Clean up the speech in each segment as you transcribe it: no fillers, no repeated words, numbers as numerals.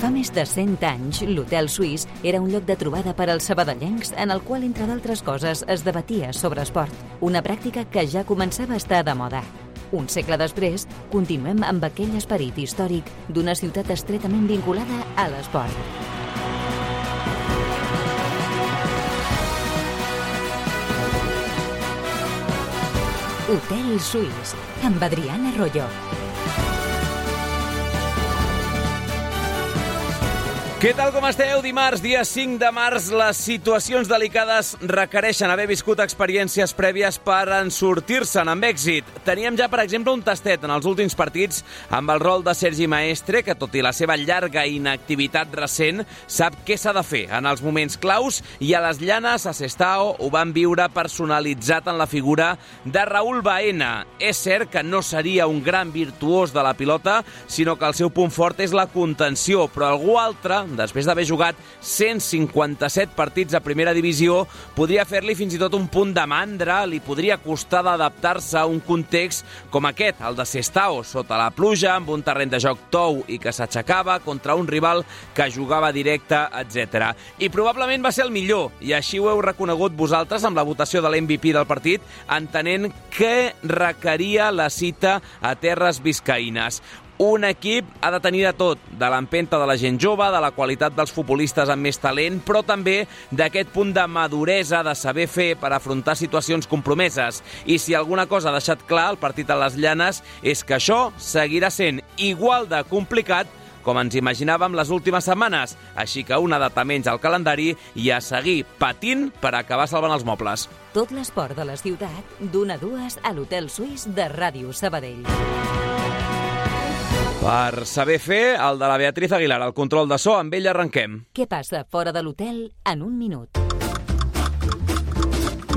Fa més de 100 anys, l'Hotel Suís era un lloc de trobada per als sabadellencs en el qual, entre d'altres coses, es debatia sobre esport, una pràctica que ja començava a estar de moda. Un segle després, continuem amb aquell esperit històric d'una ciutat estretament vinculada a l'esport. Hotel Suís, amb Adriana Royo. Què tal, com esteu? Dimarts, dia 5 de març, les situacions delicades requereixen haver viscut experiències prèvies per en sortir-se'n amb èxit. Teníem ja, per exemple, un tastet en els últims partits amb el rol de Sergi Maestre, que tot i la seva llarga inactivitat recent, sap què s'ha de fer en els moments claus, i a les Llanes, a Sestao, ho van viure personalitzat en la figura de Raúl Baena. És cert que no seria un gran virtuós de la pilota, sinó que el seu punt fort és la contenció, però algú altre, després d'haver jugat 157 partits a primera divisió, podria fer-li fins i tot un punt de mandra, li podria costar d'adaptar-se a un context com aquest, el de Sestao, sota la pluja, amb un terreny de joc tou i que s'aixecava contra un rival que jugava directe, etc. I probablement va ser el millor, i així ho heu reconegut vosaltres amb la votació de l'MVP del partit, entenent què requeria la cita a terres biscaïnes. Un equip ha de tenir de tot, de l'empenta de la gent jove, de la qualitat dels futbolistes amb més talent, però també d'aquest punt de maduresa, de saber fer per afrontar situacions compromeses. I si alguna cosa ha deixat clar el partit a les Llanes és que això seguirà sent igual de complicat com ens imaginàvem les últimes setmanes. Així que una data menys al calendari i a seguir patint per acabar salvant els mobles. Tot l'esport de la ciutat, d'1 a 2 a l'Hotel Suís de Ràdio Sabadell. Per saber fer, el de la Beatriz Aguilar, el control de so, amb ell arrenquem. Què passa fora de l'hotel en un minut?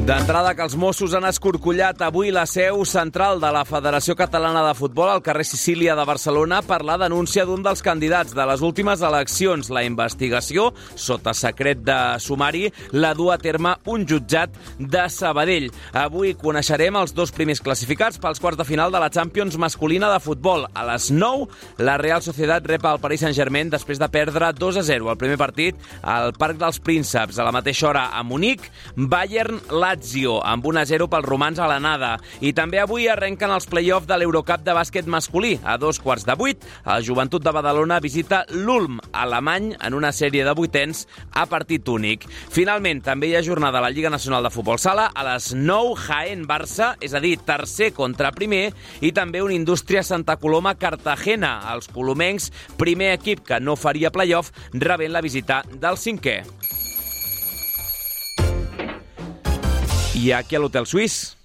D'entrada, que els Mossos han escorcollat avui la seu central de la Federació Catalana de Futbol al carrer Sicília de Barcelona per la denúncia d'un dels candidats de les últimes eleccions. La investigació, sota secret de sumari, la du a terme un jutjat de Sabadell. Avui coneixerem els dos primers classificats pels quarts de final de la Champions masculina de futbol. A les 9, la Real Sociedad rep el Paris Saint-Germain després de perdre 2-0 el primer partit al Parc dels Prínceps. A la mateixa hora, a Munic, Bayern-Lazio, amb 1-0 pels romans a l'anada. I també avui arrenquen els play-off de l'Eurocup de bàsquet masculí. A 7:15, el Joventut de Badalona visita l'Ulm, alemany, en una sèrie de vuitens a partit únic. Finalment, també hi ha jornada a la Lliga Nacional de Futbol Sala. A les 9, Jaén-Barça, és a dir, tercer contra primer, i també un Indústria Santa Coloma-Cartagena. Els colomencs, primer equip que no faria play-off, rebent la visita del cinquè. I aquí a l'Hotel Suís.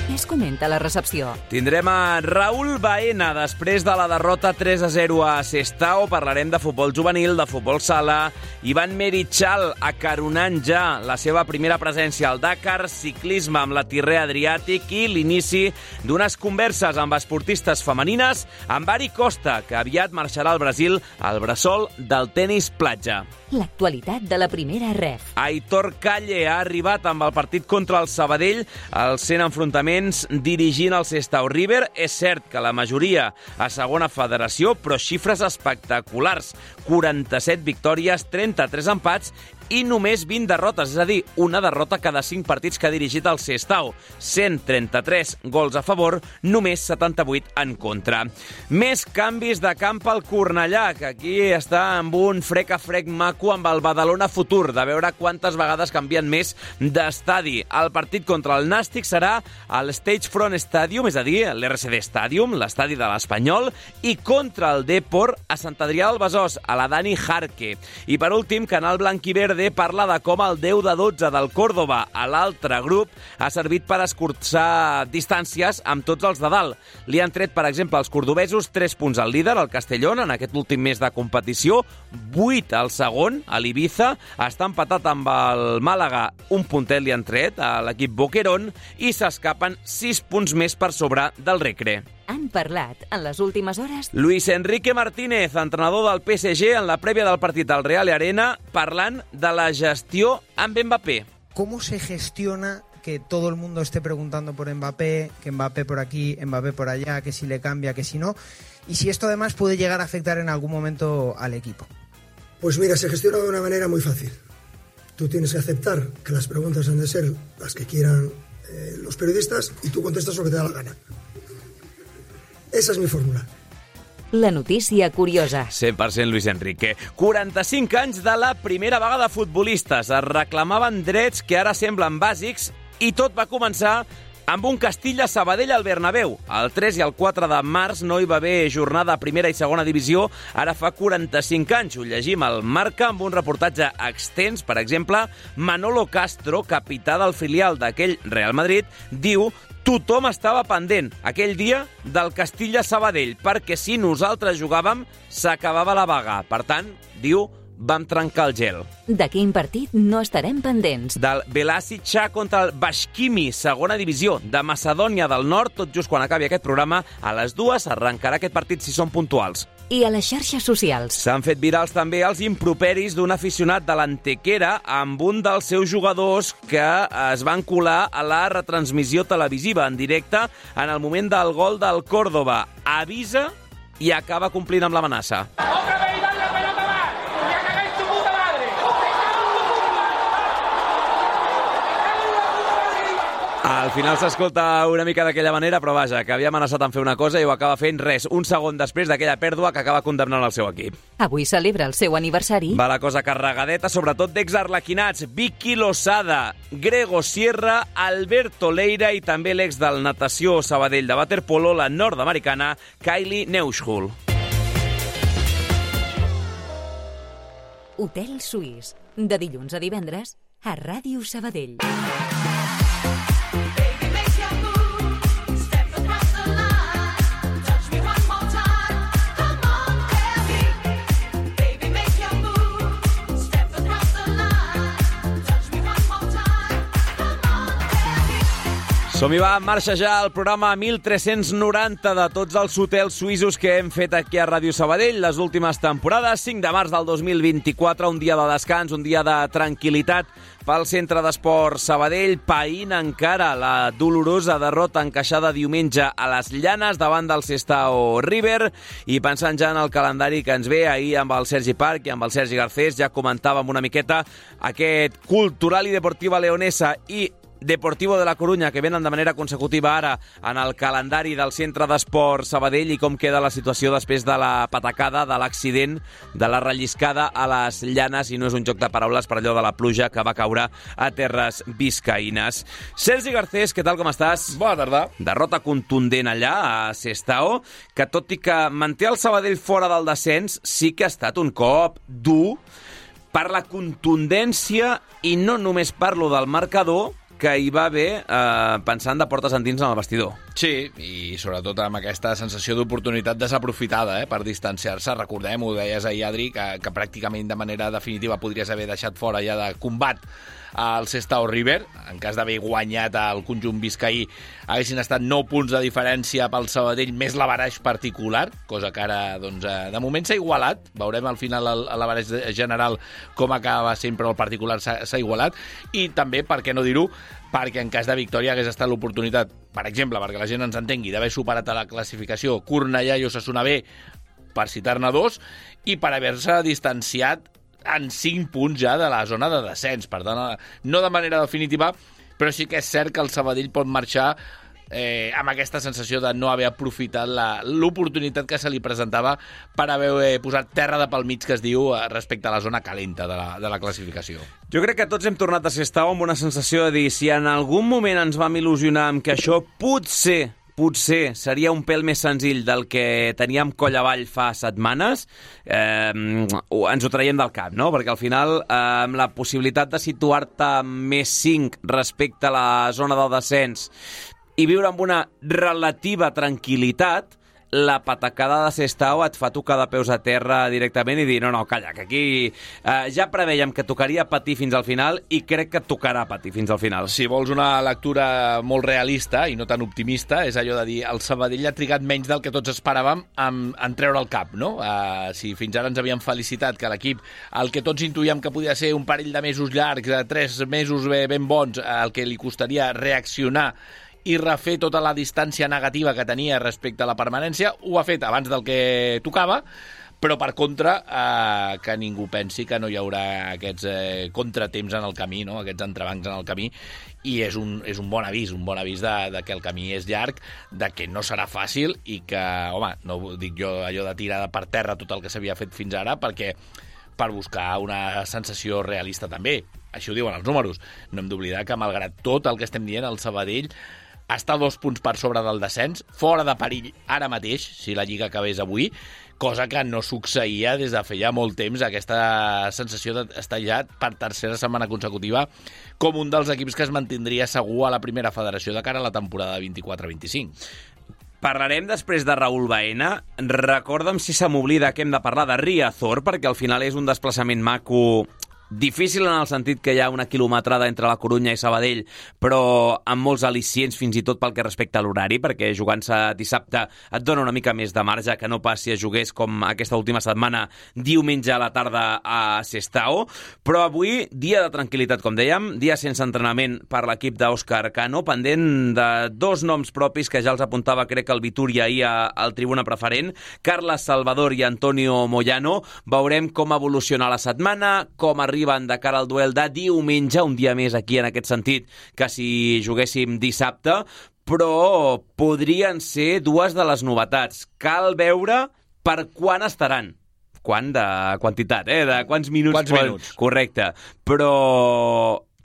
Què es comenta a la recepció? Tindrem a Raúl Baena després de la derrota 3-0 a Sestao. Parlarem de futbol juvenil, de futbol sala. Ivan Merichal acaronant ja la seva primera presència al Dakar, ciclisme amb la Tirrea Adriàtic i l'inici d'unes converses amb esportistes femenines amb Ari Costa, que aviat marxarà al Brasil al bressol del tenis platja. L'actualitat de la primera ref. Aitor Calle ha arribat amb el partit contra el Sabadell als 100 enfrontaments dirigint el Sestao River. És cert que la majoria a segona federació, però xifres espectaculars. 47 victòries, 33 empats i només 20 derrotes, és a dir, una derrota cada 5 partits que ha dirigit el Sestao. 133 gols a favor, només 78 en contra. Més canvis de camp al Cornellà, que aquí està amb un frec a frec maco amb el Badalona Futur, de veure quantes vegades canvien més d'estadi. El partit contra el Nàstic serà al Stagefront Stadium, és a dir, l'RCD Stadium, l'estadi de l'Espanyol, i contra el Depor a Sant Adrià del Besòs, a la Dani Jarque. I per últim, Canal Blanc i Verde parla de com el 10-12 del Córdoba a l'altre grup ha servit per escurçar distàncies amb tots els de dalt. Li han tret, per exemple, els cordobesos 3 punts al líder, el Castellón, en aquest últim mes de competició, 8 al segon, a l'Ibiza, està empatat amb el Màlaga, un puntet li han tret a l'equip Boquerón, i s'escapen 6 punts més per sobre del Recre. Han parlat en les últimes hores Luis Enrique Martínez, entrenador del PSG, en la prèvia del partit al Real Arena, parlant de la gestió amb Mbappé. ¿Cómo se gestiona que todo el mundo esté preguntando por Mbappé, que Mbappé por aquí, Mbappé por allá, que si le cambia, que si no, y si esto además puede llegar a afectar en algún momento al equipo. Pues mira, se gestiona de una manera muy fácil. Tú tienes que aceptar que las preguntas han de ser las que quieran los periodistas y tú contestas lo que te da la gana. Esa és mi fórmula. La notícia curiosa. 100% Luis Enrique. 45 anys de la primera vaga de futbolistes. Es reclamaven drets que ara semblen bàsics i tot va començar amb un Castilla-Sabadell al Bernabéu. El 3 i el 4 de març no hi va haver jornada a primera i segona divisió. Ara fa 45 anys. Ho llegim al Marca amb un reportatge extens. Per exemple, Manolo Castro, capità del filial d'aquell Real Madrid, diu: tothom estava pendent aquell dia del Castilla-Sabadell, perquè si nosaltres jugàvem, s'acabava la vaga. Per tant, diu, vam trencar el gel. De quin partit no estarem pendents? Del Belasica contra el Bashkimi, segona divisió de Macedònia del Nord. Tot just quan acabi aquest programa, a les 2 arrencarà aquest partit si són puntuals. I a les xarxes socials. S'han fet virals també els improperis d'un aficionat de l'Antequera amb un dels seus jugadors que es van colar a la retransmissió televisiva en directe en el moment del gol del Córdoba. Avisa i acaba complint amb l'amenaça. Al final s'escolta una mica d'aquella manera, però vaja, que havia amenaçat en fer una cosa i ho acaba fent res, un segon després d'aquella pèrdua que acaba condemnant el seu equip. Avui celebra el seu aniversari. Va la cosa carregadeta, sobretot d'exarlequinats. Vicky Losada, Grego Sierra, Alberto Leira i també l'ex del natació Sabadell de waterpolo, la nord-americana Kylie Neuschul. Hotel Suís, de dilluns a divendres, a Ràdio Sabadell. Som-hi, va, en marxa ja el programa 1390 de tots els hotels suïssos que hem fet aquí a Ràdio Sabadell les últimes temporades. 5 de març del 2024, un dia de descans, un dia de tranquil·litat pel Centre d'Esport Sabadell, païnt encara la dolorosa derrota encaixada diumenge a les Llanes davant del Sestao River i pensant ja en el calendari que ens ve. Ahir amb el Sergi Parc i amb el Sergi Garcés ja comentàvem una miqueta aquest Cultural i Deportiva Leonesa i Deportivo de la Corunya, que venen de manera consecutiva ara en el calendari del Centre d'Esport Sabadell, i com queda la situació després de la patacada, de l'accident, de la relliscada a les Llanes, i no és un joc de paraules per allò de la pluja que va caure a terres biscaïnes. Sergi Garcés, què tal, com estàs? Bona tarda. Derrota contundent allà a Sestao, que tot i que manté el Sabadell fora del descens, sí que ha estat un cop dur per la contundència, i no només parlo del marcador, que hi va haver pensant de portes endins en el vestidor. Sí, i sobretot amb aquesta sensació d'oportunitat desaprofitada per distanciar-se. Recordem, ho deies ahir, Adri, que pràcticament de manera definitiva podries haver deixat fora ja de combat al Sestao River. En cas d'haver guanyat el conjunt biscaí, haguessin estat 9 punts de diferència pel Sabadell, més l'averaix particular, cosa que ara, doncs, de moment s'ha igualat. Veurem al final l'averaix general com acaba sempre, el particular s'ha igualat. I també, per què no dir-ho, perquè en cas de victòria hagués estat l'oportunitat, per exemple, perquè la gent ens entengui, d'haver superat a la classificació Cornellà i Osasuna B, per citar-ne 2, i per haver-se distanciat en 5 punts ja de la zona de descens. Per tant, no de manera definitiva, però sí que és cert que el Sabadell pot marxar amb aquesta sensació de no haver aprofitat l'oportunitat que se li presentava per haver posat terra de pel mig, que es diu, respecte a la zona calenta de la classificació. Jo crec que tots hem tornat a Sestao amb una sensació de dir, si en algun moment ens vam il·lusionar amb que això potser seria un pèl més senzill del que teníem coll avall fa setmanes, ens ho traiem del cap, no? Perquè al final, amb la possibilitat de situar-te més 5 respecte a la zona del descens i viure amb una relativa tranquil·litat, la patacada de Sestao et fa tocar de peus a terra directament i dir, no, calla, que aquí ja preveiem que tocaria patir fins al final i crec que et tocarà patir fins al final. Si vols una lectura molt realista i no tan optimista, és allò de dir el Sabadell ha trigat menys del que tots esperàvem en treure el cap, no? Si fins ara ens havíem felicitat que l'equip, el que tots intuïem que podia ser un parell de mesos llargs, 3 mesos ben bons, el que li costaria reaccionar i refer tota la distància negativa que tenia respecte a la permanència, ho ha fet abans del que tocava, però per contra que ningú pensi que no hi haurà aquests contratemps en el camí, no? Aquests entrebancs en el camí, i és un bon avís de que el camí és llarg, de que no serà fàcil i que, home, no dic jo allò de tirar per terra tot el que s'havia fet fins ara, perquè per buscar una sensació realista també. Així ho diuen els números. No hem d'oblidar que, malgrat tot el que estem dient, el Sabadell està 2 punts per sobre del descens, fora de perill ara mateix, si la Lliga acabés avui, cosa que no succeïa des de feia molt temps, aquesta sensació d'estar ja per tercera setmana consecutiva com un dels equips que es mantindria segur a la primera federació de cara a la temporada 24-25. Parlarem després de Raúl Baena. Recorda'm si se m'oblida que hem de parlar de Riazor, perquè al final és un desplaçament maco, difícil en el sentit que hi ha una quilometrada entre la Corunya i Sabadell, però amb molts al·licients fins i tot pel que respecta a l'horari, perquè jugant-se dissabte et dona una mica més de marge que no pas si es jugués com aquesta última setmana diumenge a la tarda a Sestao. Però avui, dia de tranquil·litat, com dèiem, dia sense entrenament per l'equip d'Òscar Cano, pendent de 2 noms propis que ja els apuntava, crec, el Vitúria ahir al tribuna preferent, Carles Salvador i Antonio Moyano. Veurem com evoluciona la setmana, com arriben de cara al duel de diumenge, un dia més aquí en aquest sentit que si juguéssim dissabte, però podrien ser 2 de les novetats. Cal veure per quan estaran. Quan de quantitat, de quants minuts. Correcte. Però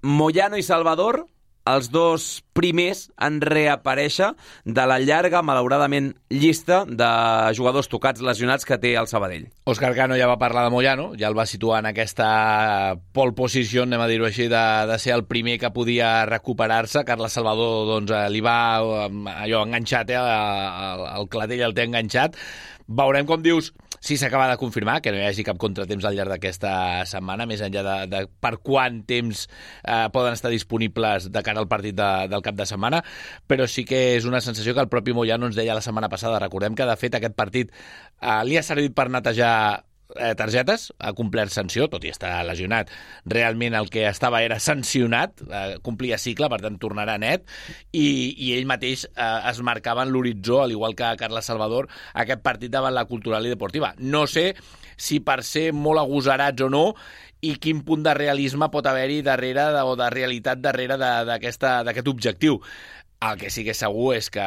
Moyano i Salvador, els 2 primers en reaparèixer de la llarga, malauradament, llista de jugadors tocats, lesionats que té el Sabadell. Òscar Cano ja va parlar de Moyano, ja el va situar en aquesta pole position, anem a dir-ho així, de ser el primer que podia recuperar-se. Carles Salvador doncs, li va allò enganxat, el clatell el té enganxat. Veurem, com dius, si s'acaba de confirmar que no hi hagi cap contratemps al llarg d'aquesta setmana, més enllà de per quant temps poden estar disponibles de cara al partit del cap de setmana, però sí que és una sensació que el propi Moyano ens deia la setmana passada. Recordem que, de fet, aquest partit li ha servit per netejar targetes, ha complert sanció, tot i estar lesionat. Realment el que estava era sancionat, complia cicle, per tant tornarà net, i ell mateix es marcava en l'horitzó, al igual que Carles Salvador, aquest partit davant la Cultural i Deportiva. No sé si per ser molt agosarats o no, i quin punt de realisme pot haver-hi darrere, o de realitat darrere d'aquest objectiu. El que sí que és segur és que,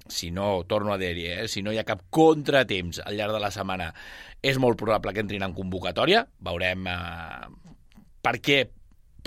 si no, torno a dir-hi, si no hi ha cap contratemps al llarg de la setmana, és molt probable que entrin en convocatòria. Veurem per què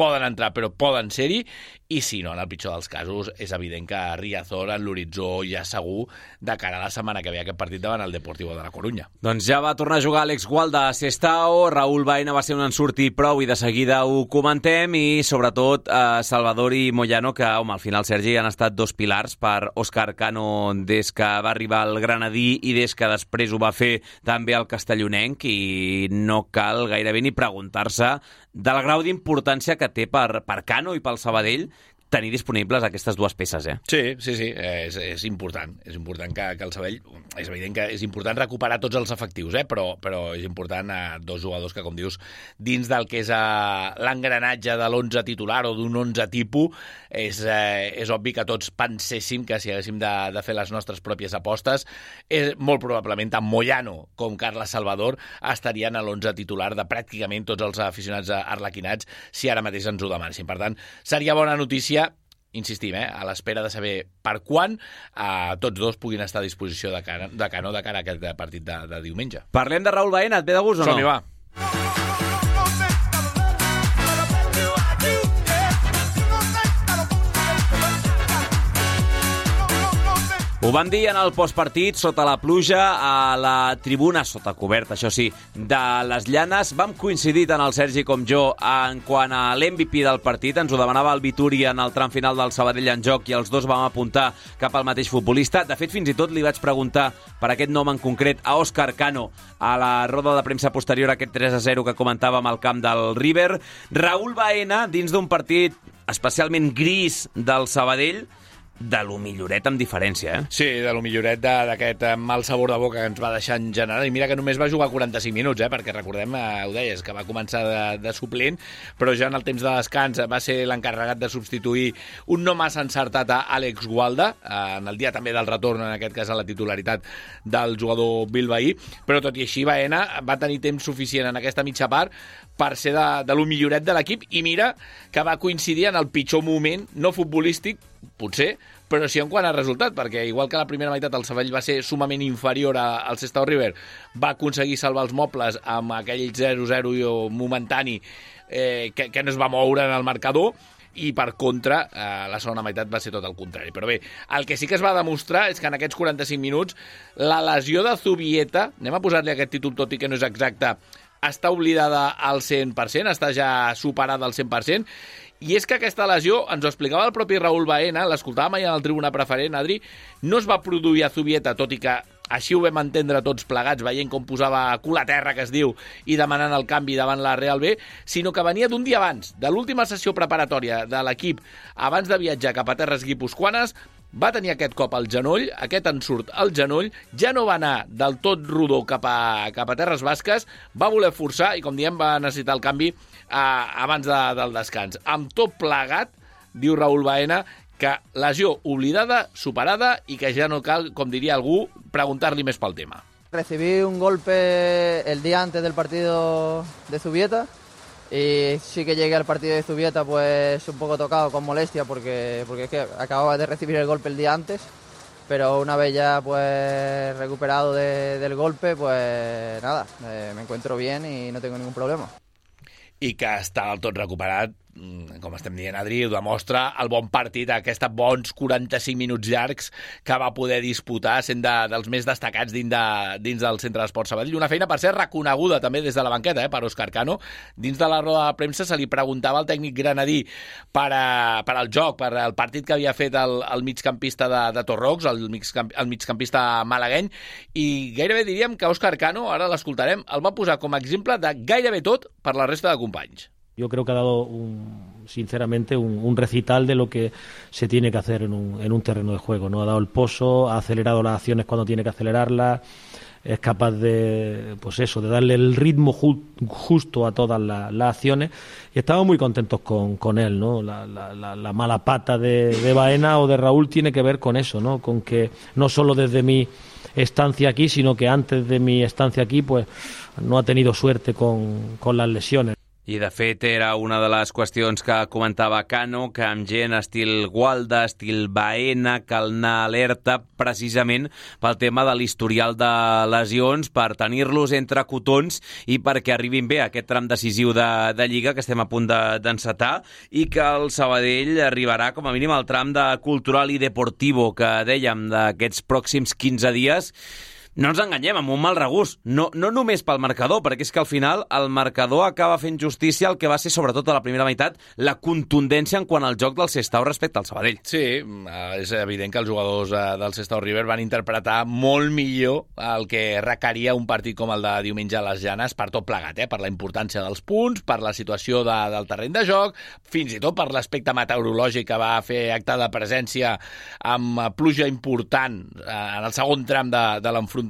poden entrar, però poden ser-hi, i si no, en el pitjor dels casos, és evident que Riazor en l'horitzó ja segur de cara a la setmana que ve aquest partit davant el Deportivo de la Corunya. Doncs ja va tornar a jugar Àlex Gualda a Sestao, Raúl Baena va ser un ensurt i prou, i de seguida ho comentem, i sobretot Salvador i Moyano, que, home, al final, Sergi, han estat 2 pilars per Òscar Cano des que va arribar al Granadí i des que després ho va fer també al Castellonenc, i no cal gairebé ni preguntar-se del grau d'importància que té per Cano i pel Sabadell tenir disponibles aquestes 2 peces, Sí, és important. És important que el Sabadell... És evident que és important recuperar tots els efectius, però és important 2 jugadors que, com dius, dins del que és l'engranatge de l'11 titular o d'un 11 tipus, és obvi que tots penséssim que si haguéssim de fer les nostres pròpies apostes, molt probablement tant Moyano com Carles Salvador estarien a l'11 titular de pràcticament tots els aficionats arlequinats si ara mateix ens ho demanessin. Per tant, seria bona notícia, insistim, a l'espera de saber per quan tots 2 puguin estar a disposició de Cano de cara a aquest partit de diumenge. Parlem de Raúl Baena, et ve de gust o no? Som-hi, va. Ho vam dir en el postpartit, sota la pluja, a la tribuna, sota coberta, això sí, de les Llanes. Vam coincidir tant el Sergi com jo en quant a l'MVP del partit. Ens ho demanava el Vituri en el tram final del Sabadell en joc i els dos vam apuntar cap al mateix futbolista. De fet, fins i tot li vaig preguntar per aquest nom en concret a Òscar Cano a la roda de premsa posterior a aquest 3-0 que comentàvem al camp del River. Raúl Baena, dins d'un partit especialment gris del Sabadell, de lo milloret amb diferència, eh? Sí, de lo milloret d'aquest mal sabor de boca que ens va deixar en general. I mira que només va jugar 45 minuts, perquè recordem, ho deies, que va començar de suplent, però ja en el temps de descans va ser l'encarregat de substituir un no massa encertat a Àlex Gualda, en el dia també del retorn, en aquest cas a la titularitat del jugador bilbaí, però tot i així Baena va tenir temps suficient en aquesta mitja part per ser de lo milloret de l'equip, i mira que va coincidir en el pitjor moment, no futbolístic, potser, però sí en quant a resultat, perquè igual que la primera meitat el Sabadell va ser sumament inferior al Sestao River, va aconseguir salvar els mobles amb aquell 0-0 momentani que no es va moure en el marcador, i per contra la segona meitat va ser tot el contrari. Però bé, el que sí que es va demostrar és que en aquests 45 minuts la lesió de Zubieta, anem a posar-li aquest títol tot i que no és exacte, està oblidada al 100%, està ja superada al 100%, i és que aquesta lesió, ens ho explicava el propi Raúl Baena, l'escoltàvem ahir en el Tribuna Preferent, Adri, no es va produir a Zubieta, tot i que així ho vam entendre tots plegats, veient com posava cul a terra, que es diu, i demanant el canvi davant la Real B, sinó que venia d'un dia abans, de l'última sessió preparatòria de l'equip, abans de viatjar cap a terres guipuscoanes, va tenir aquest cop al genoll, aquest ensurt al genoll, ja no va anar del tot rodó cap a terres basques, va voler forçar i, com diem, va necessitar el canvi abans del descans. Amb tot plegat, diu Raúl Baena, que lesió oblidada, superada, i que ja no cal, com diria algú, preguntar-li més pel tema. Recibí un golpe el día antes del partido de Zubieta y sí que llegué al partido de Zubieta pues un poco tocado, con molestia, porque es que acababa de recibir el golpe el día antes, pero una vez ya pues recuperado del golpe, pues nada, me encuentro bien y no tengo ningún problema. I que està del tot recuperat, com estem dient, Adri, ho demostra el bon partit, aquests bons 45 minuts llargs que va poder disputar, sent dels més destacats dins del Centre d'Esport Sabadell. Una feina, per ser reconeguda també des de la banqueta, per Òscar Cano. Dins de la roda de premsa se li preguntava al tècnic granadí per al joc, per al partit que havia fet el migcampista de Torrox, el migcampista malagueny, i gairebé diríem que Òscar Cano, ara l'escoltarem, el va posar com a exemple de gairebé tot per la resta de companys. Yo creo que ha dado, sinceramente, un recital de lo que se tiene que hacer en un terreno de juego, ¿no? Ha dado el pozo, ha acelerado las acciones cuando tiene que acelerarlas, es capaz de, pues eso, de darle el ritmo justo a todas las acciones, y estamos muy contentos con él, ¿no? La mala pata de Baena o de Raúl tiene que ver con eso, ¿no? Con que no solo desde mi estancia aquí, sino que antes de mi estancia aquí, pues no ha tenido suerte con las lesiones. I, de fet, era una de les qüestions que comentava Cano, que amb gent estil Gualda, estil Baena, cal anar alerta precisament pel tema de l'historial de lesions, per tenir-los entre cotons i perquè arribin bé a aquest tram decisiu de Lliga que estem a punt d'encetar, i que el Sabadell arribarà com a mínim al tram de cultural i deportivo que dèiem d'aquests pròxims 15 dies. No ens enganyem, amb un mal regust, no només pel marcador, perquè és que al final el marcador acaba fent justícia al que va ser, sobretot a la primera meitat, la contundència en quant al joc del Sestao respecte al Sabadell. Sí, és evident que els jugadors del Sestao River van interpretar molt millor el que requeria un partit com el de diumenge a les Llanes, per tot plegat, per la importància dels punts, per la situació del terreny de joc, fins i tot per l'aspecte meteorològic que va fer acte de presència amb pluja important en el segon tram de l'enfrontament.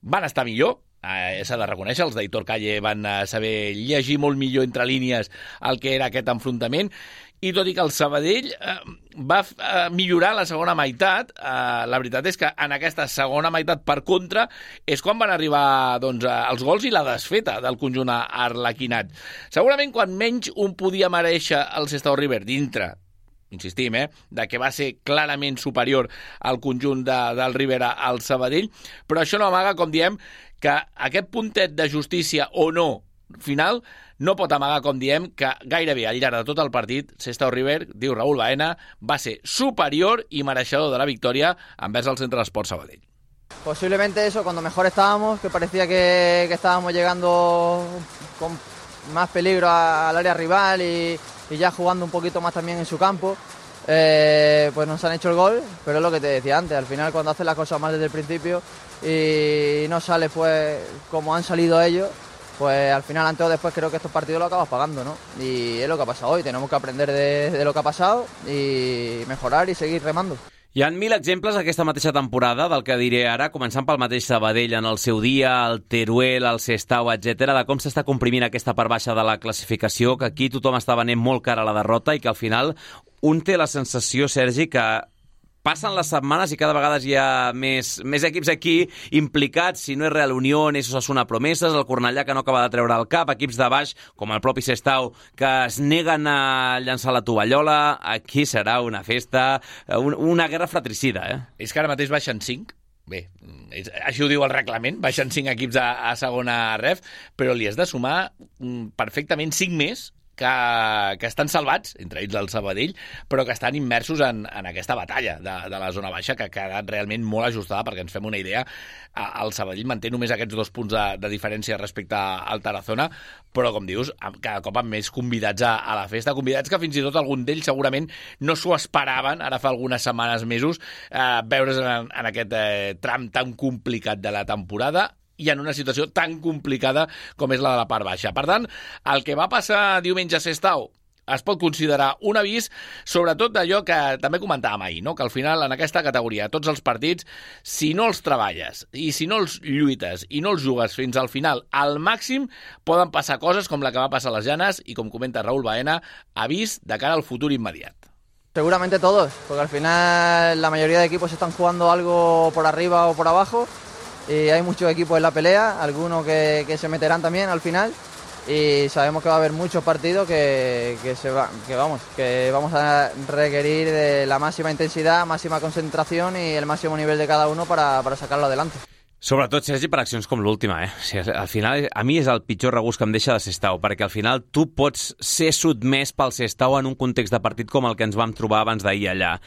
Van estar millor, s'ha de reconèixer, els d'Aitor Calle van saber llegir molt millor entre línies el que era aquest enfrontament, i tot i que el Sabadell va millorar la segona meitat, la veritat és que en aquesta segona meitat, per contra, és quan van arribar els gols i la desfeta del conjunt arlequinat. Segurament quan menys un podia mereixer el Sestao River dintre, insistim, de que va ser clarament superior al conjunt del River al Sabadell, però això no amaga, com diem, que aquest puntet de justícia o no final no pot amagar, com diem, que gairebé al llarg de tot el partit, Sestao River, diu Raúl Baena, va ser superior y mereixedor de la victòria envers el Centre d'Esport Sabadell. Posiblemente eso, cuando mejor estábamos, que parecía que estábamos llegando con más peligro al área rival y ya jugando un poquito más también en su campo, pues nos han hecho el gol, pero es lo que te decía antes, al final cuando haces las cosas mal desde el principio y no sale pues como han salido ellos, pues al final antes o después creo que estos partidos lo acabas pagando, ¿no? Y es lo que ha pasado hoy, tenemos que aprender de lo que ha passat i mejorar i seguir remando. Hi ha 1.000 exemples aquesta mateixa temporada del que diré ara, començant pel mateix Sabadell en el seu dia, el Teruel, el Sestao, etc, de com s'està comprimint aquesta part baixa de la classificació, que aquí tothom està venent molt cara a la derrota i que al final un té la sensació, Sergi, que passen les setmanes i cada vegada hi ha més equips aquí implicats, si no és Real Unión, és Osasuna Promeses, el Cornellà que no acaba de treure el cap, equips de baix, com el propi Sestao, que es neguen a llançar la tovallola. Aquí serà una festa, una guerra fratricida, És que ara mateix baixen 5, bé, així ho diu el reglament, baixen 5 equips a segona ref, però li has de sumar perfectament 5 més que estan salvats, entre ells el Sabadell, però que estan immersos en aquesta batalla de la zona baixa, que ha quedat realment molt ajustada, perquè ens fem una idea, el Sabadell manté només aquests 2 punts de diferència respecte al Tarazona, però, com dius, cada cop amb més convidats a la festa, convidats que fins i tot algun d'ells segurament no s'ho esperaven, ara fa algunes setmanes, mesos, veure's en aquest tram tan complicat de la temporada, i en una situació tan complicada com és la de la part baixa. Per tant, el que va passar diumenge a Sestao es pot considerar un avís, sobretot d'allò que també comentàvem ahir, no? Que al final, en aquesta categoria, tots els partits, si no els treballes i si no els lluites i no els jugues fins al final, al màxim poden passar coses com la que va passar a les Llanes i, com comenta Raúl Baena, avís de cara al futur immediat. Seguramente todos, porque al final la mayoría de equipos están jugando algo por arriba o por abajo. Y hay muchos equipos en la pelea, algunos que se meterán también al final y sabemos que va a haber muchos partidos que vamos a requerir de la máxima intensidad, máxima concentración y el máximo nivel de cada uno para sacarlo adelante. Sobretot, Sergi, per accions com l'última, O sigui, al final, a mi és el pitjor regust que em deixa de Sestao, perquè al final tu pots ser sotmès pel Sestao en un context de partit com el que ens vam trobar abans d'ahir allà.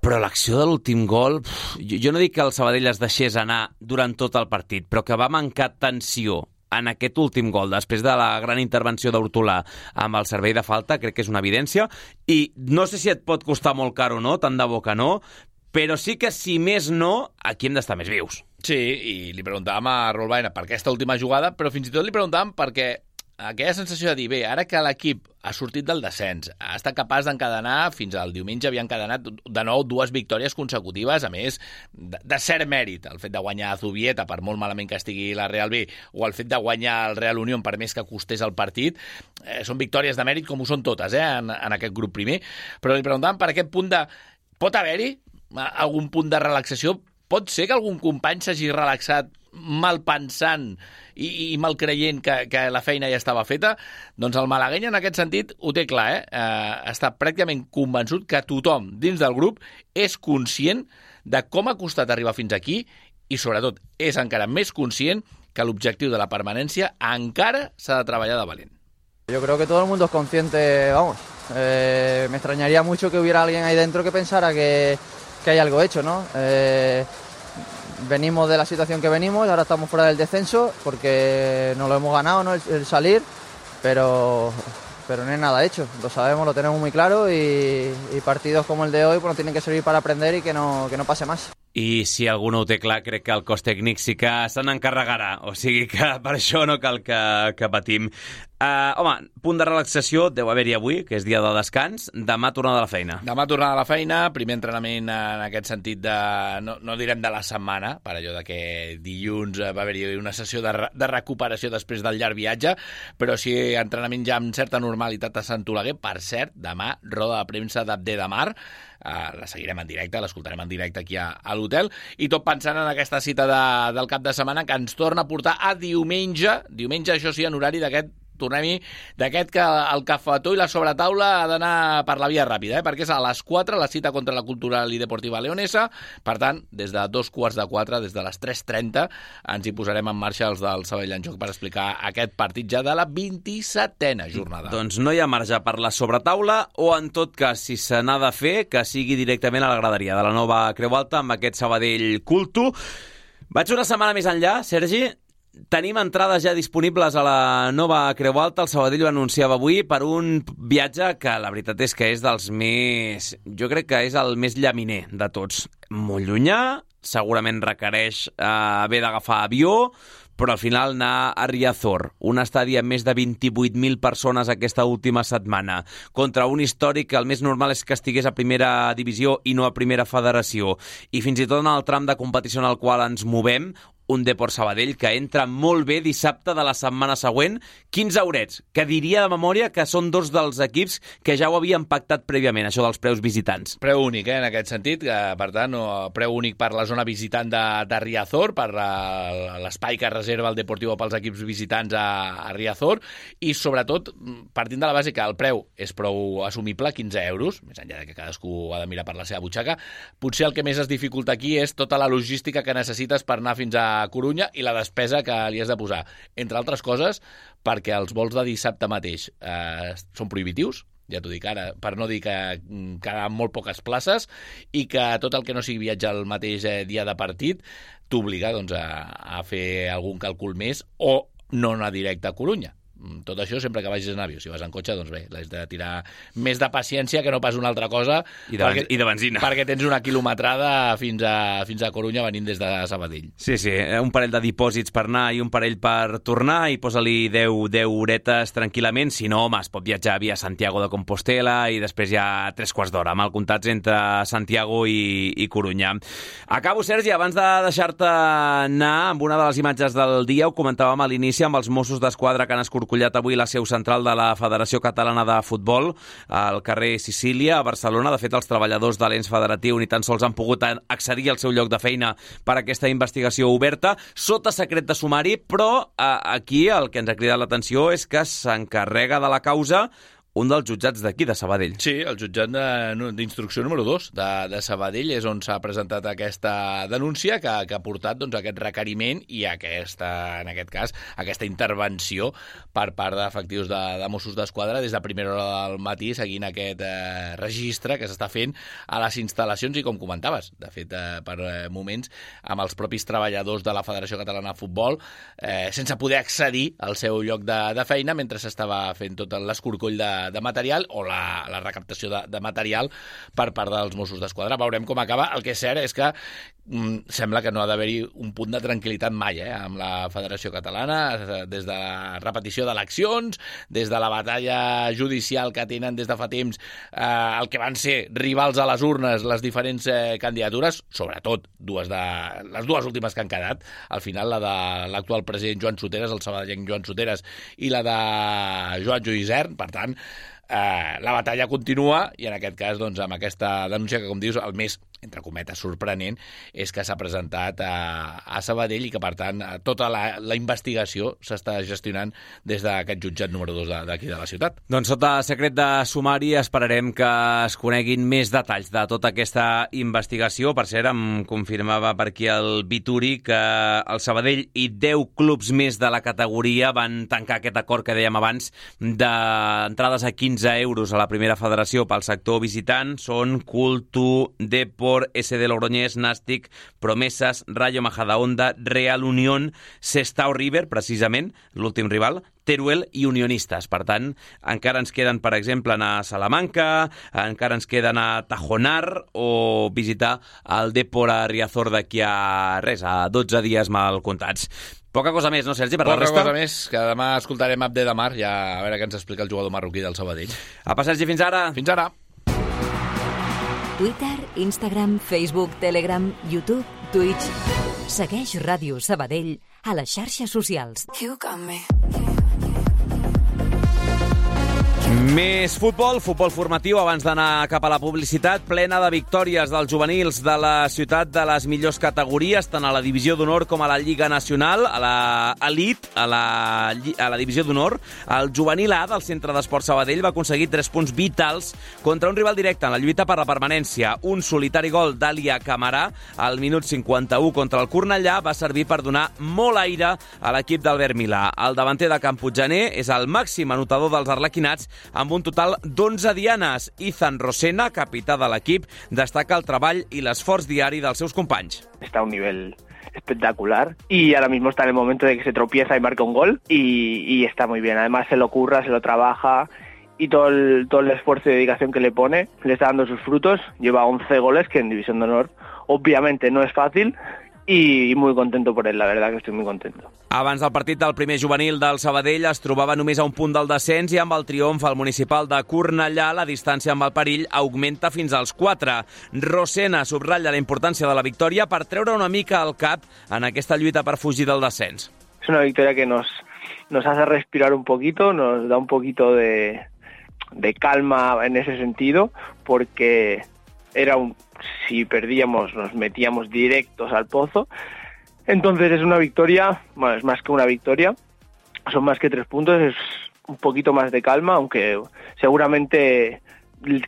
Però l'acció de l'últim gol, jo no dic que el Sabadell es deixés anar durant tot el partit, però que va mancar tensió en aquest últim gol, després de la gran intervenció d'Hortolà amb el servei de falta, crec que és una evidència, i no sé si et pot costar molt car o no, tant de bo que no, però sí que, si més no, aquí hem d'estar més vius. Sí, i li preguntàvem a Raúl Baena per aquesta última jugada, però fins i tot li preguntàvem perquè aquella sensació de dir, bé, ara que l'equip ha sortit del descens, ha estat capaç d'encadenar, fins al diumenge havia encadenat de nou 2 victòries consecutives, a més de cert mèrit, el fet de guanyar a Zubieta, per molt malament que estigui la Real B, o el fet de guanyar el Real Unión, per més que costés el partit, són victòries de mèrit com ho són totes, en aquest grup primer, però li preguntàvem per aquest punt de... Pot haver-hi algun punt de relaxació? Pot ser que algun company s'hagi relaxat mal pensant i mal creient que la feina ja estava feta? Doncs el malagueny en aquest sentit ho té clar, està pràcticament convençut que tothom dins del grup és conscient de com ha costat arribar fins aquí i sobretot és encara més conscient que l'objectiu de la permanència encara s'ha de treballar de valent. Yo creo que todo el mundo es consciente, vamos, me extrañaría mucho que hubiera alguien ahí dentro que pensara que hay algo hecho, ¿no? Venimos de la situación que venimos, ahora estamos fuera del descenso porque nos lo hemos ganado, ¿no? El salir, pero no es nada hecho, lo sabemos, lo tenemos muy claro y partidos como el de hoy pues, nos tienen que servir para aprender y que no pase más. I si algú no ho té clar, crec que el cos tècnic sí que se n'encarregarà, o sigui que per això no cal que patim. Home, punt de relaxació deu haver-hi avui, que és dia de descans. Demà tornada a la feina. Demà tornada a la feina, primer entrenament en aquest sentit de... No direm de la setmana, per allò de que dilluns va haver-hi una sessió de recuperació després del llarg viatge, però sí entrenament ja amb certa normalitat a Sant Oleguer. Per cert, demà, roda de premsa d'Abdé de Mar, la seguirem en directe, l'escoltarem en directe aquí a l'hotel, i tot pensant en aquesta cita del cap de setmana que ens torna a portar a diumenge, això sí, en horari d'aquest tornem-hi d'aquest que el cafetó i la sobretaula ha d'anar per la via ràpida, perquè és a les 4 la cita contra la Cultural i Deportiva Leonesa. Per tant, des de 3:45, des de les 3:30, ens hi posarem en marxa els del Sabadell en Joc per explicar aquest partit ja de la 27a jornada. Doncs no hi ha marge per la sobretaula, o en tot cas, si se n'ha de fer, que sigui directament a la graderia de la nova Creu Alta amb aquest Sabadell Culto. Vaig una setmana més enllà, Sergi. Tenim entrades ja disponibles a la nova Creu Alta. El Sabadell ho anunciava avui per un viatge que la veritat és que és dels més... Jo crec que és el més llaminer de tots. Molt llunyà, segurament requereix haver d'agafar avió, però al final anar a Riazor, un estadi amb més de 28.000 persones aquesta última setmana, contra un històric que el més normal és que estigués a primera divisió i no a primera federació, i fins i tot en el tram de competició en el qual ens movem, un Depor Sabadell que entra molt bé dissabte de la setmana següent, 15 eurets, que diria de memòria que són dos dels equips que ja ho havien pactat prèviament, això dels preus visitants. Preu únic, en aquest sentit, per tant, preu únic per la zona visitant de Riazor, per l'espai que reserva el Deportivo pels equips visitants a Riazor, i sobretot, partint de la base que el preu és prou assumible, 15 euros, més enllà que cadascú ha de mirar per la seva butxaca, potser el que més es dificulta aquí és tota la logística que necessites per anar fins a Corunya i la despesa que li has de posar. Entre altres coses, perquè els vols de dissabte mateix són prohibitius, ja t'ho dic ara, per no dir que quedaran molt poques places, i que tot el que no sigui viatjar el mateix dia de partit t'obliga doncs, a fer algun càlcul més o no anar directe a Corunya. Tot això sempre que vagis en avió. Si vas en cotxe, doncs bé, l'has de tirar més de paciència que no pas una altra cosa. I de benzina. Perquè tens una quilometrada fins a Corunya venint des de Sabadell. Sí, un parell de dipòsits per anar i un parell per tornar, i posa-li 10 horetes tranquil·lament. Si no, home, es pot viatjar via Santiago de Compostela i després ja 3/4 d'hora, mal comptats entre Santiago i Corunya. Acabo, Sergi, abans de deixar-te anar amb una de les imatges del dia. Ho comentàvem a l'inici amb els Mossos d'Esquadra que han escorcollat avui la seu central de la Federació Catalana de Futbol al carrer Sicília, a Barcelona. De fet, els treballadors de l'ens federatiu ni tan sols han pogut accedir al seu lloc de feina per aquesta investigació oberta, sota secret de sumari, però aquí el que ens ha cridat l'atenció és que s'encarrega de la causa un dels jutjats d'aquí, de Sabadell. Sí, el jutjat d'instrucció número 2 de Sabadell és on s'ha presentat aquesta denúncia que ha portat doncs, aquest requeriment i en aquest cas, aquesta intervenció per part d'efectius de Mossos d'Esquadra des de primera hora del matí, seguint aquest registre que s'està fent a les instal·lacions i, com comentaves, de fet, per moments, amb els propis treballadors de la Federació Catalana de Futbol, sense poder accedir al seu lloc de feina mentre s'estava fent tot l'escorcoll de material o la recaptació de material per part dels Mossos d'Esquadra. Veurem com acaba. El que és cert és que sembla que no ha d'haver-hi un punt de tranquil·litat mai amb la Federació Catalana, des de la repetició d'eleccions, des de la batalla judicial que tenen des de fa temps el que van ser rivals a les urnes, les diferents candidatures, sobretot les dues últimes que han quedat, al final la de l'actual president Joan Soteras, el sabadellenc Joan Soteras, i la de Joan Lluïsern. Per tant, la batalla continua i en aquest cas, doncs, amb aquesta denúncia que, com dius, el més, entre cometes, sorprenent és que s'ha presentat a Sabadell i que, per tant, tota la investigació s'està gestionant des d'aquest jutjat número 2 d'aquí de la ciutat. Doncs sota secret de sumari esperarem que es coneguin més detalls de tota aquesta investigació. Per cert, em confirmava per aquí el Vituri que el Sabadell i 10 clubs més de la categoria van tancar aquest acord que dèiem abans d'entrades a 15 euros a la primera federació pel sector visitant. Són Culto, Depor, SD Logroñés, Nàstic, Promesas, Rayo Majadahonda, Real Unión, Sestao River, precisament, l'últim rival, Teruel i Unionistes. Per tant, encara ens queden, per exemple, anar a Salamanca, encara ens queda anar a Tajonar o visitar el Depor a Riazor d'aquí a 12 dies mal comptats. Poca cosa més, no, Sergi, per la resta? Poca cosa més, que demà escoltarem Abde de Mar, ja a veure què ens explica el jugador marroquí del Sabadell. Apa, Sergi, fins ara. Fins ara. Twitter, Instagram, Facebook, Telegram, YouTube, Twitch. Segueix Ràdio Sabadell a les xarxes socials. You got me. Més futbol formatiu abans d'anar cap a la publicitat, plena de victòries dels juvenils de la ciutat de les millors categories, tant a la divisió d'honor com a la Lliga Nacional, a l'elit, a la divisió d'honor. El juvenil A del Centre d'Esport Sabadell va aconseguir 3 punts vitals contra un rival directe en la lluita per la permanència. Un solitari gol d'Àlia Camarà al minut 51 contra el Cornellà va servir per donar molt aire a l'equip d'Albert Milà. El davanter de Can Puiggener és el màxim anotador dels arlequinats amb un total d'11 dianes. Ethan Rosena, capità de l'equip, destaca el treball i l'esforç diari dels seus companys. Está a un nivel espectacular y ahora mismo está en el momento de que se tropieza y marca un gol y está muy bien. Además se lo curra, se lo trabaja y todo el esfuerzo y dedicación que le pone le está dando sus frutos. Lleva 11 goles, que en División de Honor obviamente no es fácil, i muy contento por él, la verdad que estoy muy contento. Abans del partit del primer juvenil del Sabadell es trobava només a un punt del descens i amb el triomf al municipal de Cornellà la distància amb el perill augmenta fins als 4. Rosena subratlla la importància de la victòria per treure una mica el cap en aquesta lluita per fugir del descens. Es una victoria que nos hace respirar un poquito, nos da un poquito de calma en ese sentido, porque si perdíamos nos metíamos directos al pozo. Entonces es una victoria, bueno, es más que una victoria, son más que 3 puntos, es un poquito más de calma, aunque seguramente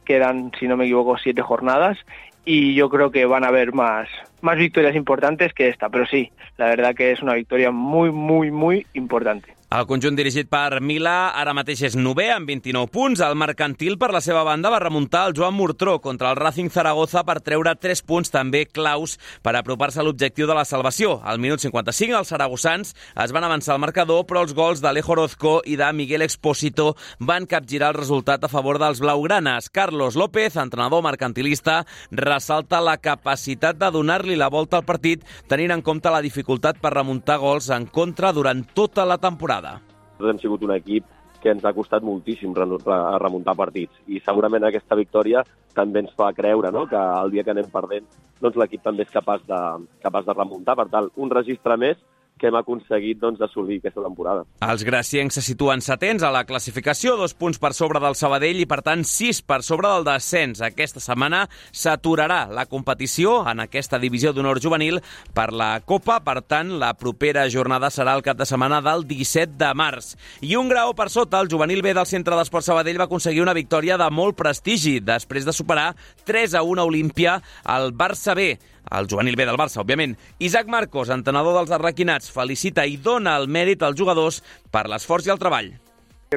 quedan, si no me equivoco, 7 jornadas y yo creo que van a haber más victorias importantes que esta, pero sí, la verdad que es una victoria muy, muy, muy importante. El conjunt dirigit per Milà ara mateix és 9è amb 29 punts. El Mercantil, per la seva banda, va remuntar el Joan Murtró contra el Racing Zaragoza per treure 3 punts també claus per apropar-se a l'objectiu de la salvació. Al minut 55, els saragossans es van avançar al marcador, però els gols d'Alejo Orozco i de Miguel Expósito van capgirar el resultat a favor dels blaugranes. Carlos López, entrenador mercantilista, ressalta la capacitat de donar-li la volta al partit, tenint en compte la dificultat per remuntar gols en contra durant tota la temporada. Hem sigut un equip que ens ha costat moltíssim remuntar partits i segurament aquesta victòria també ens fa creure, no?, que el dia que anem perdent doncs l'equip també és capaç de remuntar. Per tant, un registre més que hem aconseguit assolir aquesta temporada. Els graciencs se situen 7ens a la classificació, 2 punts per sobre del Sabadell i, per tant, 6 per sobre del descens. Aquesta setmana s'aturarà la competició en aquesta divisió d'honor juvenil per la Copa. Per tant, la propera jornada serà el cap de setmana del 17 de març. I un grau per sota, el juvenil B del Centre d'Esport Sabadell va aconseguir una victòria de molt prestigi després de superar 3-1 a Olímpia al Barça B. El juvenil B del Barça, òbviament. Isaac Marcos, entrenador dels arlequinats, felicita i dona el mèrit als jugadors per l'esforç i el treball.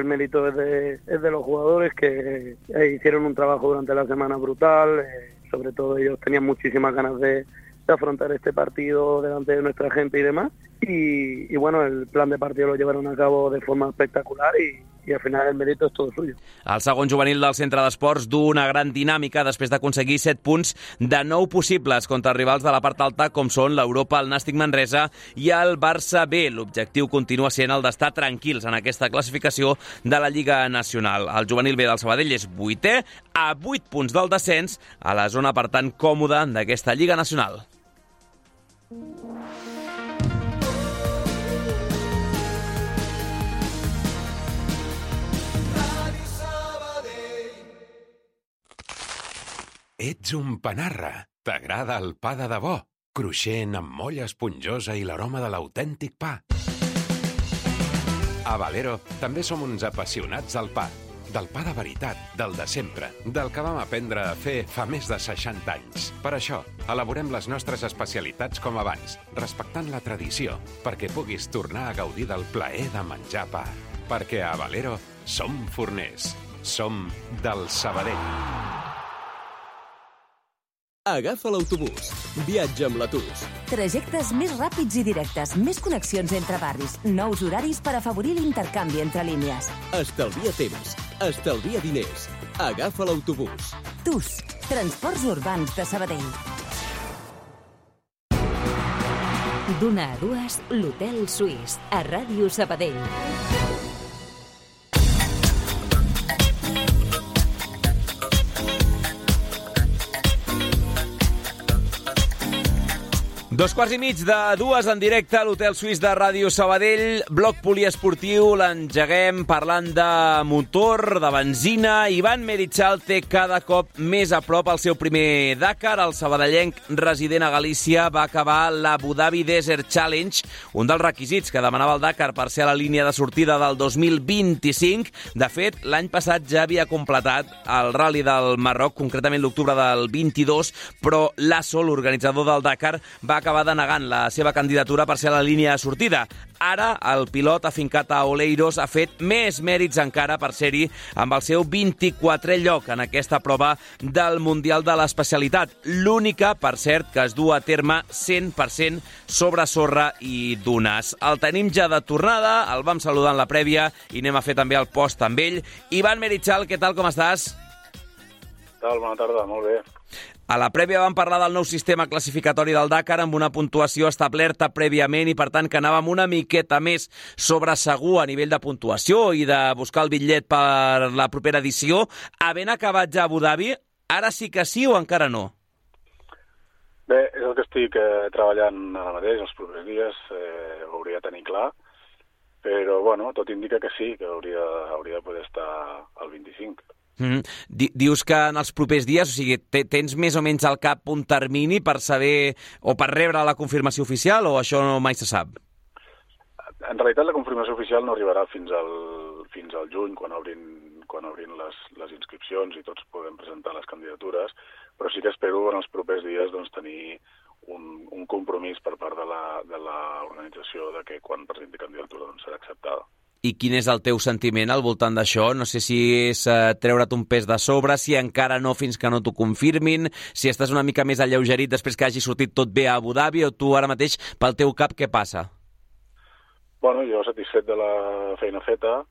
El mérito es de los jugadores que hicieron un trabajo durante la semana brutal, sobre todo ellos tenían muchísimas ganas de afrontar este partido delante de nuestra gente y demás, y bueno, el plan de partido lo llevaron a cabo de forma espectacular y al final el mérito es todo suyo. El segon juvenil del Centre d'Esports du una gran dinàmica després d'aconseguir 7 punts de 9 possibles contra rivals de la part alta com són l'Europa, el Nàstic Manresa i el Barça B. L'objectiu continua sent el d'estar tranquils en aquesta classificació de la Lliga Nacional. El juvenil B del Sabadell és 8è, a 8 punts del descens, a la zona, per tant, còmoda d'aquesta Lliga Nacional. Ets un panarra. T'agrada el pa de debò, cruixent amb molla esponjosa i l'aroma de l'autèntic pa. A Valero també som uns apassionats del pa. Del pa de veritat, del de sempre, del que vam aprendre a fer fa més de 60 anys. Per això, elaborem les nostres especialitats com abans, respectant la tradició, perquè puguis tornar a gaudir del plaer de menjar pa. Perquè a Valero som forners. Som del Sabadell. Agafa l'autobús. Viatja amb l'Atus. Trajectes més ràpids i directes, més connexions entre barris, nous horaris per afavorir l'intercanvi entre línies. Estalvia temps, estalvia diners. Agafa l'autobús. TUS, Transports Urbans de Sabadell. D'una a dues, l'Hotel Suís, a Ràdio Sabadell. 2:15 en directe a l'Hotel Suís de Ràdio Sabadell. Bloc poliesportiu, l'engeguem parlant de motor, de benzina. Ivan Merichal té cada cop més a prop el seu primer Dakar. El sabadellenc resident a Galícia va acabar l'Abu Dhabi Desert Challenge, un dels requisits que demanava el Dakar per ser a la línia de sortida del 2025. De fet, l'any passat ja havia completat el Rally del Marroc, concretament l'octubre del 22, però l'ASO, l'organitzador del Dakar, va acabar denegant la seva candidatura per ser a la línia de sortida. Ara, el pilot afincat a Oleiros ha fet més mèrits encara per ser-hi amb el seu 24è lloc en aquesta prova del Mundial de l'Especialitat. L'única, per cert, que es du a terme 100% sobre sorra i dunes. El tenim ja de tornada, el vam saludar en la prèvia i anem a fer també el post amb ell. Ivan Merichal, què tal, com estàs? Què tal? Bona tarda, molt bé. A la prèvia vam parlar del nou sistema classificatori del Dakar amb una puntuació establerta prèviament i, per tant, que anàvem una miqueta més sobre segur a nivell de puntuació i de buscar el bitllet per la propera edició. Havent acabat ja a Abu Dhabi, ara sí que sí o encara no? Bé, és el que estic treballant ara mateix, els propers dies, ho hauria de tenir clar, però, bueno, tot indica que sí, que hauria de poder estar al 25. Dius que en els propers dies, o sigui, tens més o menys al cap un termini per saber o per rebre la confirmació oficial o això no mai se sap? En realitat la confirmació oficial no arribarà fins al juny, quan obrin les inscripcions i tots podem presentar les candidatures, però sí que espero en els propers dies doncs, tenir un compromís per part de l'organització de que quan presenti candidatura doncs, serà acceptada. I quin és el teu sentiment al voltant d'això? No sé si és treure't un pes de sobre, si encara no fins que no t'ho confirmin, si estàs una mica més alleugerit després que hagi sortit tot bé a Abu Dhabi, o tu ara mateix, pel teu cap, què passa? Bueno, jo satisfet de la feina feta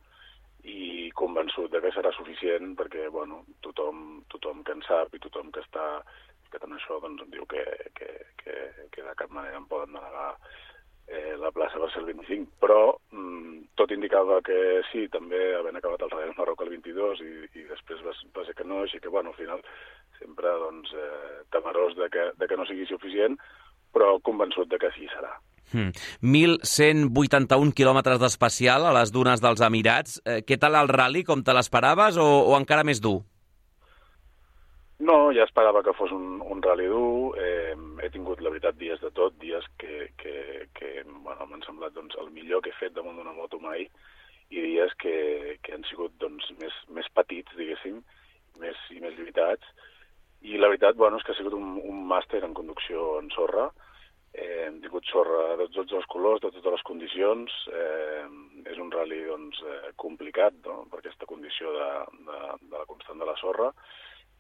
i convençut de que serà suficient perquè, bueno, tothom que en sap i tothom que està en això doncs em diu que de cap manera em poden denegar la plaça va ser el 25, però tot indicava que sí, també havent acabat el Rally del Marroc el 22 i després va ser que no, així que bueno, al final sempre doncs, temerós de que no sigui suficient, però convençut de que sí serà. 1.181 quilòmetres d'especial a les dunes dels Emirats. Què tal el rally, com te l'esperaves o encara més dur? No, ja esperava que fos un rally dur. He tingut, la veritat, dies de tot, dies que bueno, m'han semblat doncs, el millor que he fet damunt d'una moto mai i dies que han sigut doncs, més petits, diguéssim, i més lluitats. I la veritat, bueno, és que ha sigut un màster en conducció en sorra. Hem tingut sorra de tots els colors, de totes les condicions. És un rally doncs, complicat, no?, per aquesta condició de la constant de la sorra.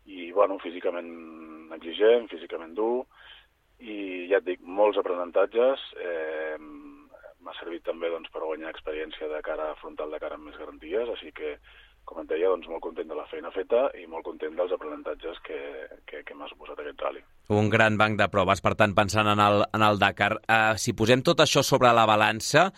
I, bueno, físicament exigent, físicament dur, i ja et dic, molts aprenentatges. M'ha servit també doncs, per guanyar experiència de cara frontal de cara amb més garanties, així que, com et deia, doncs, molt content de la feina feta i molt content dels aprenentatges que m'ha suposat aquest rally. Un gran banc de proves, per tant, pensant en el Dakar. Si posem tot això sobre la balança,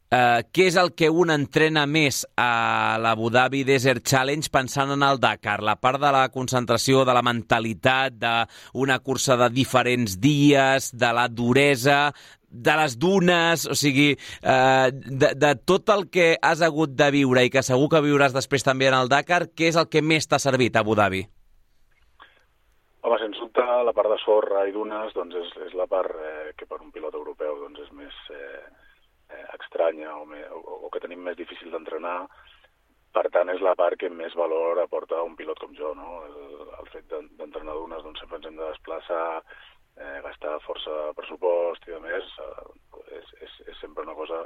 què és el que un entrena més a l'Abu Dhabi Desert Challenge pensant en el Dakar? La part de la concentració, de la mentalitat, d'una cursa de diferents dies, de la duresa, de les dunes, o sigui, de tot el que has hagut de viure i que segur que viuràs després també en el Dakar, què és el que més t'ha servit a Abu Dhabi? Home, sens dubte, la part de sorra i dunes doncs és la part que per un pilot europeu doncs, és més estranya o que tenim més difícil d'entrenar. Per tant, és la part que més valor aporta un pilot com jo, no? El fet d'entrenar dunes, doncs sempre ens hem de desplaçar, gastar força pressupost i a més és sempre una cosa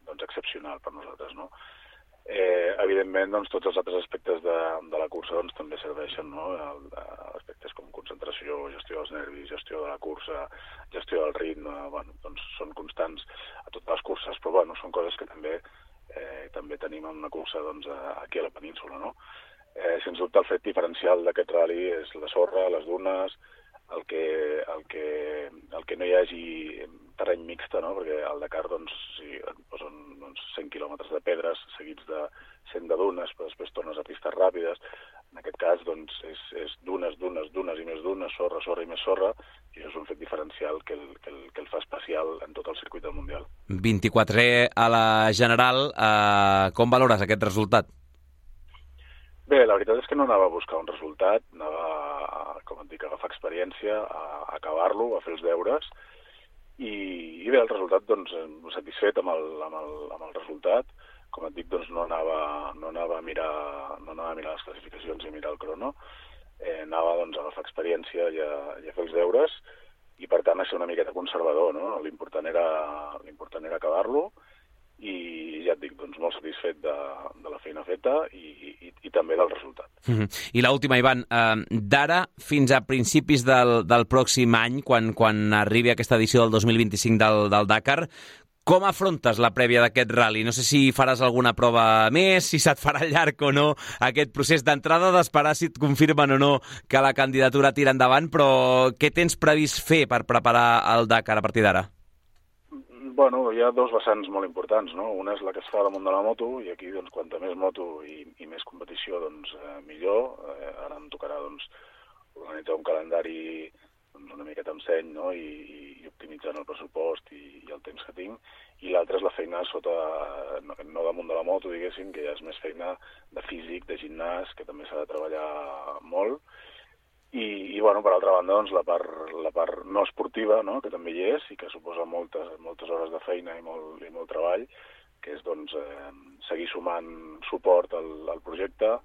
doncs, excepcional per nosaltres, no? Evidentment, doncs, tots els altres aspectes de la cursa doncs, també serveixen, no? Aspectes com concentració, gestió dels nervis, gestió de la cursa, gestió del ritme, bueno, doncs, són constants a totes les curses, però bueno, són coses que també tenim en una cursa doncs, aquí a la península, no? Sens dubte el fet diferencial d'aquest rally és la sorra, les dunes, el que no hi hagi terreny mixta, no? Perquè al Dakar doncs, si et posen 100 quilòmetres de pedres seguits de 100 de dunes, però després tornes a pistes ràpides. En aquest cas doncs, és dunes i més dunes, sorra i més sorra, i això és un fet diferencial que el fa especial en tot el circuit del Mundial. 24è a la general, com valores aquest resultat? Bé, la veritat és que no anava a buscar un resultat, anava, com et dic, a agafar experiència, a acabar-lo, a fer els deures, i bé, el resultat, doncs, satisfet amb el resultat. Com et dic, doncs, no anava a mirar les classificacions i a mirar el crono, anava doncs, a agafar experiència i a fer els deures, i per tant a ser una miqueta conservador, no? L'important era acabar-lo, i ja et dic, doncs, molt satisfet de la feina feta i també del resultat. I l'última, Ivan, d'ara fins a principis del pròxim any, quan arribi aquesta edició del 2025 del Dakar, com afrontes la prèvia d'aquest rally? No sé si faràs alguna prova més, si se't farà llarg o no aquest procés d'entrada, d'esperar si et confirmen o no que la candidatura tira endavant, però què tens previst fer per preparar el Dakar a partir d'ara? Bueno, hi ha dos vessants molt importants, no? Una és la que es fa damunt de la moto, i aquí, doncs, quanta més moto i més competició, doncs, millor. Ara em tocarà, doncs, organitzar un calendari doncs, una miqueta amb seny, no? I optimitzant el pressupost i el temps que tinc. I l'altra és la feina no damunt de la moto, diguéssim, que ja és més feina de físic, de gimnàs, que també s'ha de treballar molt. I bueno, per altra banda, doncs, la part no esportiva, no?, que també hi és i que suposa moltes hores de feina i molt treball, que és doncs, seguir sumant suport al projecte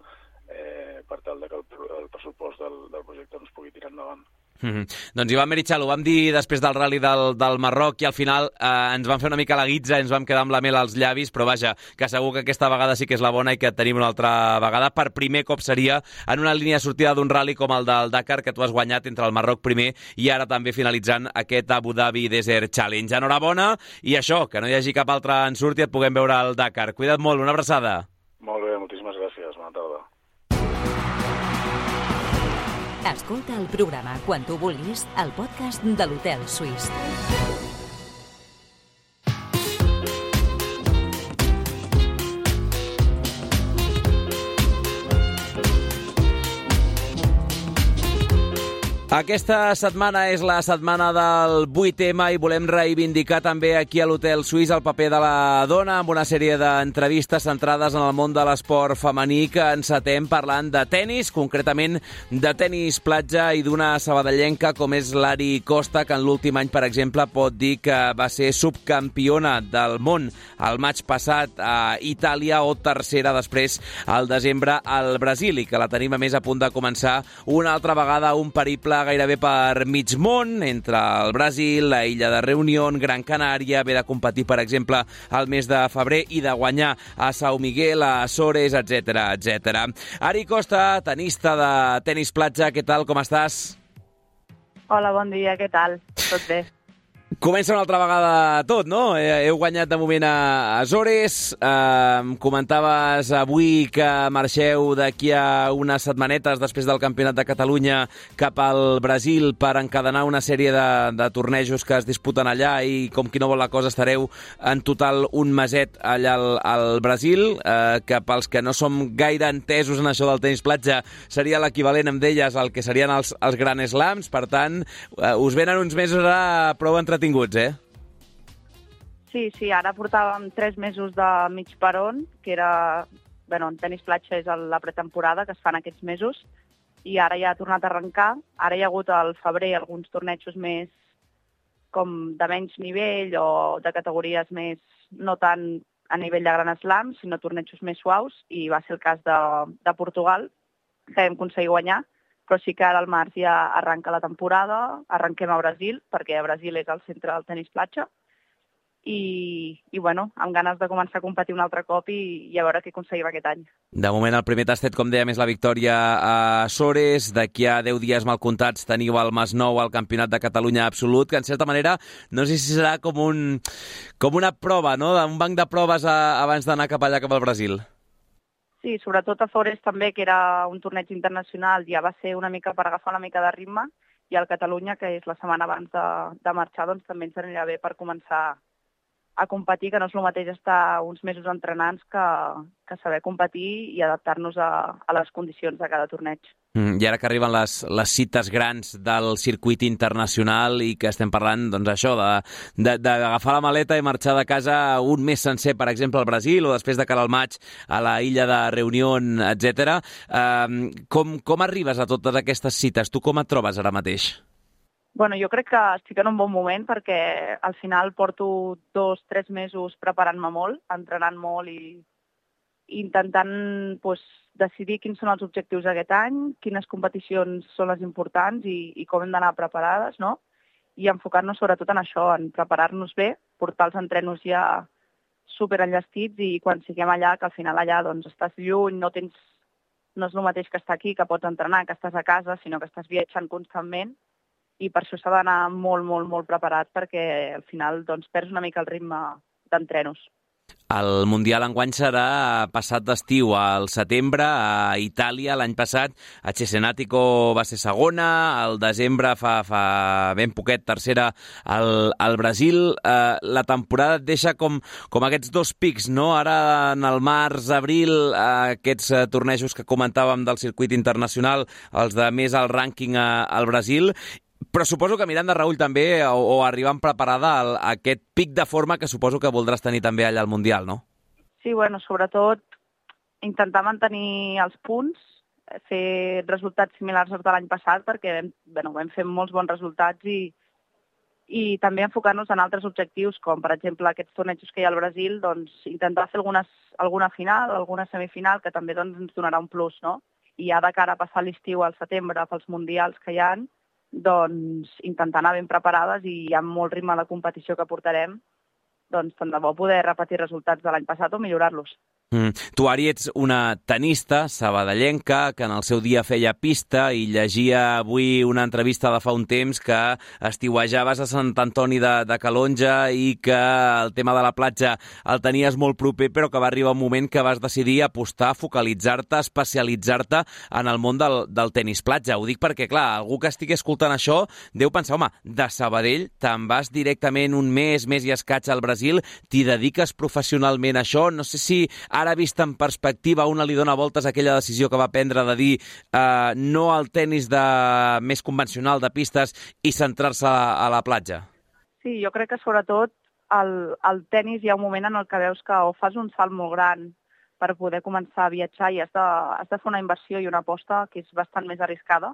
per tal que el pressupost del projecte ens pugui tirar endavant. Doncs Ivan Merichal, ho vam dir després del rally del Marroc i al final ens vam fer una mica la guitza, ens vam quedar amb la mel als llavis, però vaja, que segur que aquesta vegada sí que és la bona i que et tenim una altra vegada. Per primer cop seria en una línia de sortida d'un rally com el del Dakar, que tu has guanyat entre el Marroc primer i ara també finalitzant aquest Abu Dhabi Desert Challenge. Enhorabona, i això, que no hi hagi cap altre ensurt i et puguem veure al Dakar. Cuida't molt, una abraçada. Molt bé, moltíssimes gràcies, bona tarda. Escolta el programa quan tu vulguis al podcast de l'Hotel Suís. Aquesta setmana és la setmana del 8M i volem reivindicar també aquí a l'Hotel Suís el paper de la dona amb una sèrie d'entrevistes centrades en el món de l'esport femení que encetem parlant de tennis, concretament de tennis platja i d'una sabadellenca com és l'Ari Costa, que en l'últim any, per exemple, pot dir que va ser subcampiona del món el maig passat a Itàlia o tercera després al desembre al Brasil i que la tenim a més a punt de començar una altra vegada un periple gairebé per mig món, entre el Brasil, la illa de Reunión, Gran Canària, haver de competir, per exemple, al mes de febrer i de guanyar a São Miguel, a Açores, etc. Ari Costa, tenista de tenis platja, què tal, com estàs? Hola, bon dia, què tal? Tot bé. Comença una altra vegada tot, no? Heu guanyat de moment a Açores. Comentaves avui que marxeu d'aquí a unes setmanetes després del Campionat de Catalunya cap al Brasil per encadenar una sèrie de tornejos que es disputen allà i, com qui no vol la cosa, estareu en total un meset allà al Brasil, que pels que no som gaire entesos en això del tenis platja seria l'equivalent, em deies, al que serien els Grand Slams. Per tant, us venen uns mesos ara prou entretinguts, Sí, ara portàvem 3 mesos de mig peron, que era, en tenis platja és la pretemporada que es fan aquests mesos, i ara ja ha tornat a arrencar. Ara hi ha hagut al febrer alguns tornejos més com de menys nivell o de categories més, no tant a nivell de Grand Slam, sinó tornejos més suaus, i va ser el cas de Portugal, que vam aconseguir guanyar. Però sí que ara al març ja arranca la temporada, arrenquem a Brasil, perquè a Brasil és el centre del tenis platja, i amb ganes de començar a competir un altre cop i a veure què aconseguim aquest any. De moment el primer tastet, com dèiem, és la victòria a Açores. D'aquí a 10 dies mal comptats teniu el Masnou al Campionat de Catalunya absolut, que en certa manera no sé si serà com una prova, no?, un banc de proves abans d'anar cap allà, cap al Brasil. Sí, sobretot a Açores també, que era un torneig internacional, ja va ser una mica per agafar una mica de ritme, i al Catalunya, que és la setmana abans de marxar, doncs també ens anirà bé per començar a competir, que no és el mateix estar uns mesos entrenant que saber competir i adaptar-nos a les condicions de cada torneig. I ara que arriben les cites grans del circuit internacional i que estem parlant, doncs això, d'agafar la maleta i marxar de casa un mes sencer, per exemple, al Brasil, o després de cara al maig a la illa de Reunión, etc. Com arribes a totes aquestes cites? Tu com et trobes ara mateix? Bueno, jo crec que estic en un bon moment perquè al final porto 2-3 mesos preparant-me molt, entrenant molt i intentant decidir quins són els objectius d'aquest any, quines competicions són les importants i com hem d'anar preparades, no? I enfocar-nos sobretot en això, en preparar-nos bé, portar els entrenos ja superenllestits i quan siguem allà, que al final allà doncs, estàs lluny, no és el mateix que estar aquí, que pots entrenar, que estàs a casa, sinó que estàs viatjant constantment i per això s'ha d'anar molt, molt, molt preparat perquè al final doncs, perds una mica el ritme d'entrenos. El Mundial enguany serà passat d'estiu al setembre a Itàlia. L'any passat a Cesenatico va ser segona, al desembre fa ben poquet tercera al Brasil. La temporada et deixa com aquests dos pics, no? Ara en el març, abril, aquests tornejos que comentàvem del circuit internacional, els de més al rànquing al Brasil. Però suposo que Miranda Raül també, o arribant preparada a aquest pic de forma que suposo que voldràs tenir també allà al Mundial, no? Sí, bueno, sobretot intentar mantenir els punts, fer resultats similars als de l'any passat, perquè vam fer molts bons resultats i també enfocar-nos en altres objectius, com per exemple aquests tornejos que hi ha al Brasil, doncs intentar fer alguna final, alguna semifinal, que també doncs, ens donarà un plus, no? I ja de cara a passar l'estiu al setembre pels mundials que hi ha, doncs intentar anar ben preparades i hi ha molt ritme de competició que portarem, doncs tant de bo poder repetir resultats de l'any passat o millorar-los. Tu, Ari, ets una tenista sabadellenca que en el seu dia feia pista i llegia avui una entrevista de fa un temps que estiuejaves a Sant Antoni de Calonja i que el tema de la platja el tenies molt proper, però que va arribar un moment que vas decidir apostar, focalitzar-te, especialitzar-te en el món del tenis platja. Ho dic perquè, clar, algú que estigui escoltant això deu pensar, home, de Sabadell te'n vas directament un mes i escaig al Brasil, t'hi dediques professionalment a això? No sé si ara vist en perspectiva una li dona voltes a aquella decisió que va prendre de dir no al tenis més convencional de pistes i centrar-se a la platja. Sí, jo crec que sobretot al tenis hi ha un moment en el que veus que o fas un salt molt gran per poder començar a viatjar i has de fer una inversió i una aposta que és bastant més arriscada.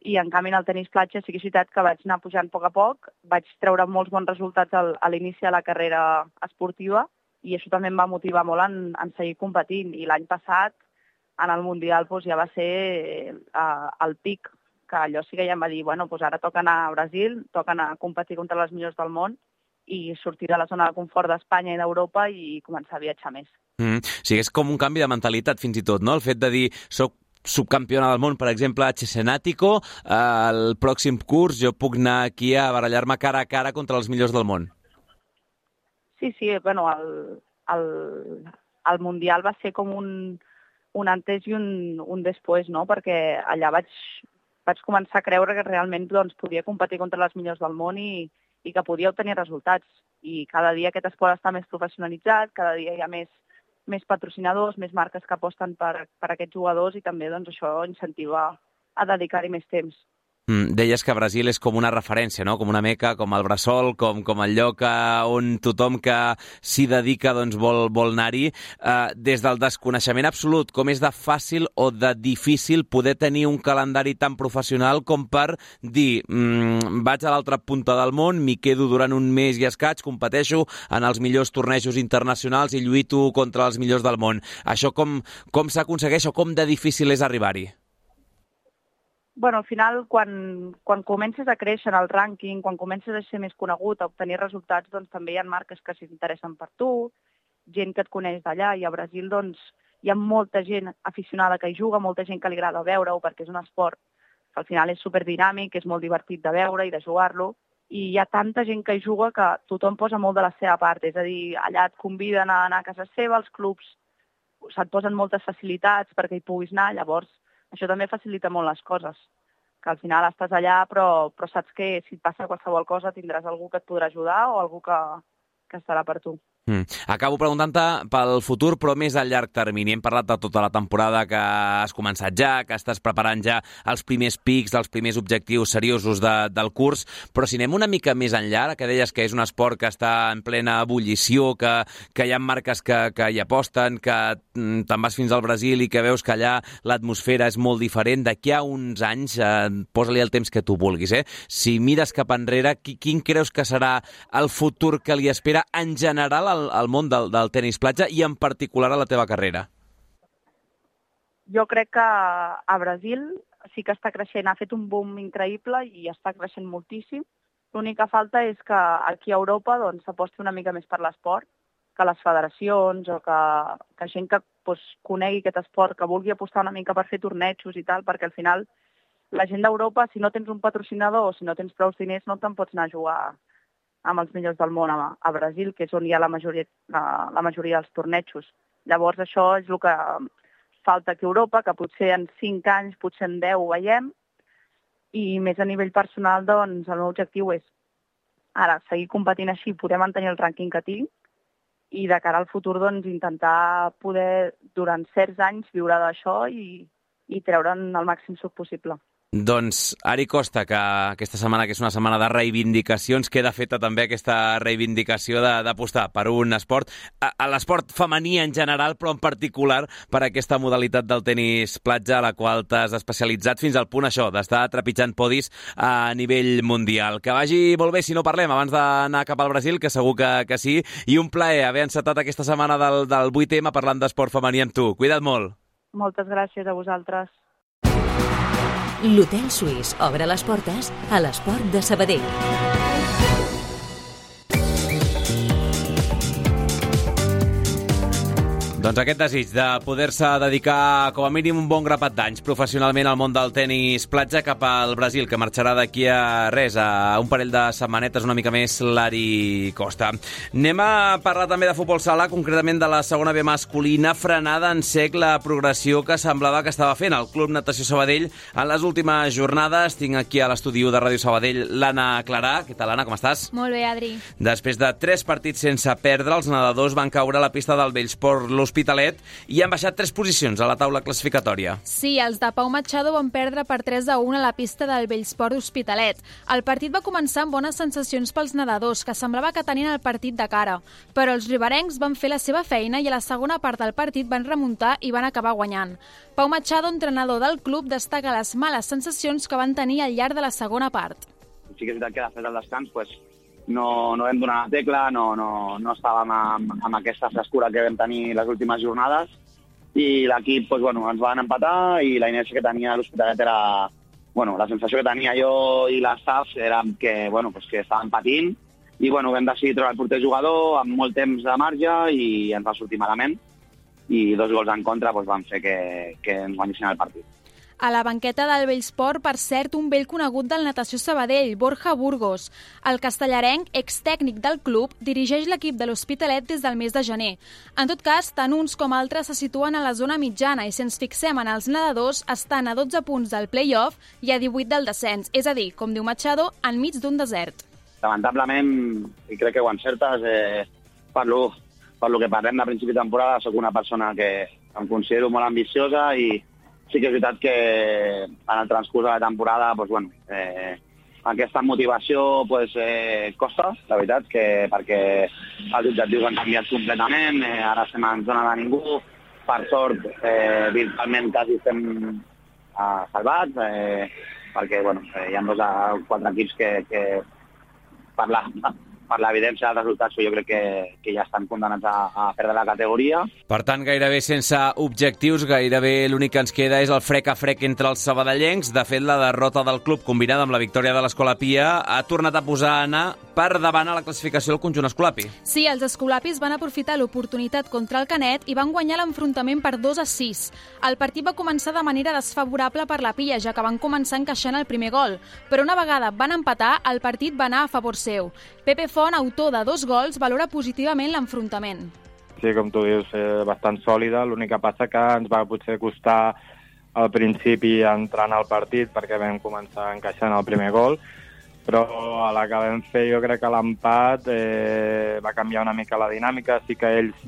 I en canvi en el tenis platja sí que és veritat que vaig anar pujant a poc, vaig treure molts bons resultats a l'inici de la carrera esportiva i això també em va motivar molt en seguir competint. I l'any passat, en el Mundial, doncs, ja va ser el pic, que allò sí que ja em va dir, bueno, doncs ara toca anar a Brasil, toca anar a competir contra les millors del món i sortir de la zona de confort d'Espanya i d'Europa i començar a viatjar més. Sí, és com un canvi de mentalitat fins i tot, no? El fet de dir, soc subcampiona del món, per exemple, a Cesenatico, el pròxim curs jo puc anar aquí a barallar-me cara a cara contra els millors del món. Sí, bueno, el Mundial va ser com un antes i un després, no? Perquè allà vaig començar a creure que realment doncs, podia competir contra les millors del món i que podia obtenir resultats. I cada dia aquest esport està més professionalitzat, cada dia hi ha més patrocinadors, més marques que aposten per aquests jugadors i també doncs, això incentiva a dedicar-hi més temps. Deies que Brasil és com una referència, no? Com una meca, com el bressol, com el lloc on tothom que s'hi dedica doncs, vol anar-hi. Des del desconeixement absolut, com és de fàcil o de difícil poder tenir un calendari tan professional com per dir vaig a l'altra punta del món, m'hi quedo durant un mes i escaig, competeixo en els millors tornejos internacionals i lluito contra els millors del món. Això com s'aconsegueix o com de difícil és arribar-hi? Bueno, al final, quan comences a créixer en el rànquing, quan comences a ser més conegut, a obtenir resultats, doncs també hi ha marques que s'interessen per tu, gent que et coneix d'allà, i a Brasil doncs, hi ha molta gent aficionada que hi juga, molta gent que li agrada veure-ho, perquè és un esport que al final és superdinàmic, és molt divertit de veure i de jugar-lo, i hi ha tanta gent que hi juga que tothom posa molt de la seva part, és a dir, allà et conviden a anar a casa seva, els clubs se't posen moltes facilitats perquè hi puguis anar, llavors això també facilita molt les coses, que al final estàs allà però saps que si et passa qualsevol cosa tindràs algú que et podrà ajudar o algú que que estarà per tu. Acabo preguntant-te pel futur, però més a llarg termini. Hem parlat de tota la temporada que has començat ja, que estàs preparant ja els primers pics, els primers objectius seriosos del curs, però si anem una mica més enllà, que deies que és un esport que està en plena ebullició, que hi ha marques que hi aposten, que te'n vas fins al Brasil i que veus que allà l'atmosfera és molt diferent. D'aquí a uns anys, posa-li el temps que tu vulguis, si mires cap enrere, quin creus que serà el futur que li espera en general al món del tenis platja i en particular a la teva carrera? Jo crec que a Brasil sí que està creixent, ha fet un boom increïble i està creixent moltíssim. L'única falta és que aquí a Europa s'aposti una mica més per l'esport, que les federacions o que gent que conegui aquest esport, que vulgui apostar una mica per fer tornejos i tal, perquè al final la gent d'Europa, si no tens un patrocinador o si no tens prou diners, no te'n pots anar a jugar amb els millors del món a Brasil, que és on hi ha la majoria dels tornejos. Llavors això és el que falta aquí a Europa, que potser en 5 anys, potser en 10 ho veiem, i més a nivell personal, el meu objectiu és ara seguir competint així, poder mantenir el rànquing que tinc, i de cara al futur intentar poder durant certs anys viure d'això i treure'n el màxim suc possible. Doncs Ari Costa, que aquesta setmana, que és una setmana de reivindicacions, queda feta també aquesta reivindicació d'apostar per un esport, a l'esport femení en general, però en particular per aquesta modalitat del tenis platja a la qual t'has especialitzat fins al punt d'estar trepitjant podis a nivell mundial. Que vagi molt bé si no parlem abans d'anar cap al Brasil, que segur que sí, i un plaer haver encetat aquesta setmana del 8M parlant d'esport femení amb tu. Cuida't molt. Moltes gràcies a vosaltres. L'Hotel Suís obre les portes a l'esport de Sabadell. Doncs aquest desig de poder-se dedicar com a mínim un bon grapat d'anys professionalment al món del tenis platja cap al Brasil, que marxarà d'aquí a res, a un parell de setmanetes, una mica més, l'Ari Costa. Anem a parlar també de futbol sala, concretament de la segona B masculina, frenada en sec la progressió que semblava que estava fent el Club Natació Sabadell en les últimes jornades. Tinc aquí a l'estudi de Ràdio Sabadell l'Anna Clarà. Què tal, Anna, com estàs? Molt bé, Adri. Després de 3 partits sense perdre, els nedadors van caure a la pista del Bellsport l'Hospitalet i han baixat 3 posicions a la taula classificatòria. Sí, els de Pau Machado van perdre per 3-1 a la pista del Bellsport Hospitalet. El partit va començar amb bones sensacions pels nedadors, que semblava que tenien el partit de cara. Però els riberencs van fer la seva feina i a la segona part del partit van remuntar i van acabar guanyant. Pau Machado, entrenador del club, destaca les males sensacions que van tenir al llarg de la segona part. Sí que és veritat que després del descans no vam donar la tecla, no estàvem amb aquesta frescura que vam tenir les últimes jornades i l'equip ens van empatar i la inèrcia que tenia l'Hospitalet era... la sensació que tenia jo i l'estaf era que estàvem patint i vam decidir treure el porter jugador amb molt temps de marge i ens va sortir malament i 2 gols en contra van fer que ens guanyessin el partit. A la banqueta del Bellsport, per cert, un vell conegut del Natació Sabadell, Borja Burgos. El castellarenc, extècnic del club, dirigeix l'equip de l'Hospitalet des del mes de gener. En tot cas, tant uns com altres se situen a la zona mitjana i si ens fixem en els nedadors, estan a 12 punts del play-off i a 18 del descens, és a dir, com diu Machado, enmig d'un desert. Lamentablement, i crec que ho encertes, per lo que parlem de principi de temporada, sóc una persona que em considero molt ambiciosa i sí que és veritat que en el transcurs de la temporada aquesta motivació costa, la veritat, perquè els objectius han canviat completament, ara estem en zona de ningú, per sort virtualment quasi estem salvats, perquè hi ha 2 o 4 equips que per l'evidència dels resultats jo crec que ja estan condemnats a perdre la categoria. Per tant, gairebé sense objectius, gairebé l'únic que ens queda és el frec a frec entre els sabadellencs. De fet, la derrota del club combinada amb la victòria de l'Escola Pia ha tornat a posar Anna per davant a la classificació del conjunt escolapi. Sí, els escolapis van aprofitar l'oportunitat contra el Canet i van guanyar l'enfrontament per 2-6. El partit va començar de manera desfavorable per la Pia, ja que van començar encaixant el primer gol, però una vegada van empatar, el partit va anar a favor seu. Pepe Font, autor de 2 gols, valora positivament l'enfrontament. Sí, com tu dius, bastant sòlida. L'únic que passa que ens va potser costar al principi entrar en el partit perquè vam començar encaixant el primer gol, però a la que vam fer jo crec que l'empat va canviar una mica la dinàmica. Sí que ells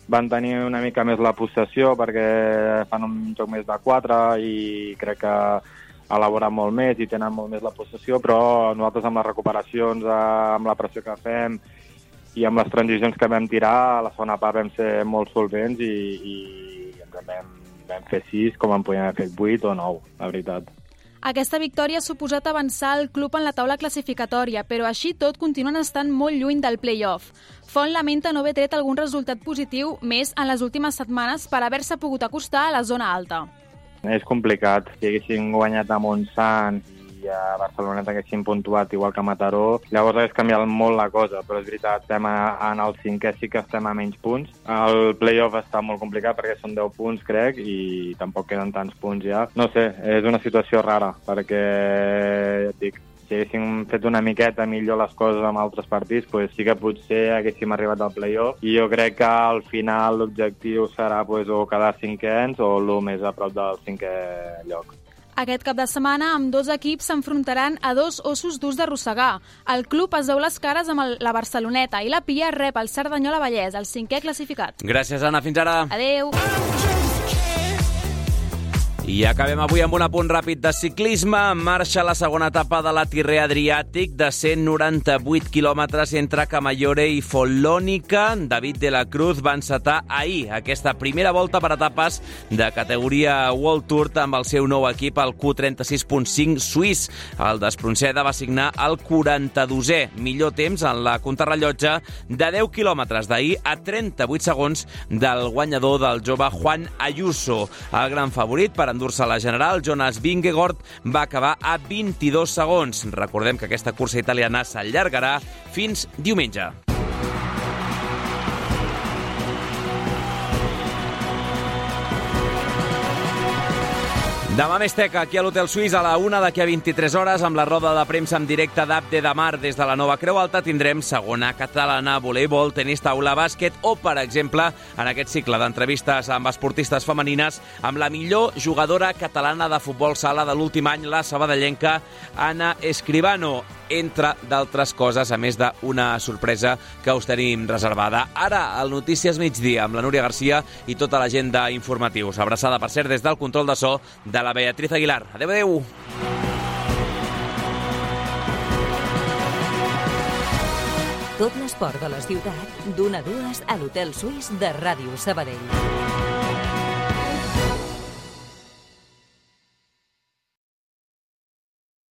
van tenir una mica més la possessió perquè fan un joc més de 4 i crec que elaboren molt més i tenen molt més la possessió, però nosaltres amb les recuperacions, amb la pressió que fem i amb les transicions que vam tirar, a la segona part vam ser molt solvents i vam fer 6 com en podíem haver fet 8 o 9, la veritat. Aquesta victòria ha suposat avançar el club en la taula classificatòria, però així tot continuen estant molt lluny del play-off. Font lamenta no haver tret algun resultat positiu més en les últimes setmanes per haver-se pogut acostar a la zona alta. És complicat. Si haguessin guanyat a Montsant i a Barcelona haguessin puntuat igual que a Mataró, llavors hagués canviat molt la cosa, però és veritat, estem en el 5è, sí que estem a menys punts. El play-off està molt complicat perquè són 10 punts, crec, i tampoc queden tants punts ja. No sé, és una situació rara, perquè, ja et dic, si haguéssim fet una miqueta millor les coses amb altres partits, pues sí que potser haguéssim arribat al play-off, i jo crec que al final l'objectiu serà o quedar 5ens o el més a prop del 5è lloc. Aquest cap de setmana, amb 2 equips s'enfrontaran a 2 ossos durs d'arrossegar. El club es veu les cares amb la Barceloneta i la Pia rep el Cerdanyola Vallès, el 5è classificat. Gràcies, Anna. Fins ara. Adéu. I acabem avui amb un apunt ràpid de ciclisme. En marxa la segona etapa de la Tirrea Adriàtic de 198 quilòmetres entre Camaiore i Follonica. David de la Cruz va encetar ahir aquesta primera volta per etapes de categoria World Tour amb el seu nou equip, el Q36.5 suís. El d'Espronceda va signar el 42è millor temps en la contrarrellotge de 10 quilòmetres d'ahir a 38 segons del guanyador del jove Juan Ayuso. El gran favorit per endur-se la general, Jonas Vingegaard, va acabar a 22 segons. Recordem que aquesta cursa italiana s'allargarà fins diumenge. Demà més teca, aquí a l'Hotel Suís, a la 1 d'aquí a 23 hores, amb la roda de premsa en directe d'Abde de Mar des de la Nova Creu Alta, tindrem segona catalana, voleibol, tenis taula, bàsquet o, per exemple, en aquest cicle d'entrevistes amb esportistes femenines, amb la millor jugadora catalana de futbol sala de l'últim any, la sabadellenca Anna Escribano, entre d'altres coses, a més d'una sorpresa que us tenim reservada. Ara, al Notícies Migdia, amb la Núria Garcia i tota la gent d'informatius. Abraçada, per cert, des del control de so de la Beatriz Aguilar. Adéu, adéu! Tot l'esport de la ciutat, d'1 a 2 a l'Hotel Suís de Ràdio Sabadell.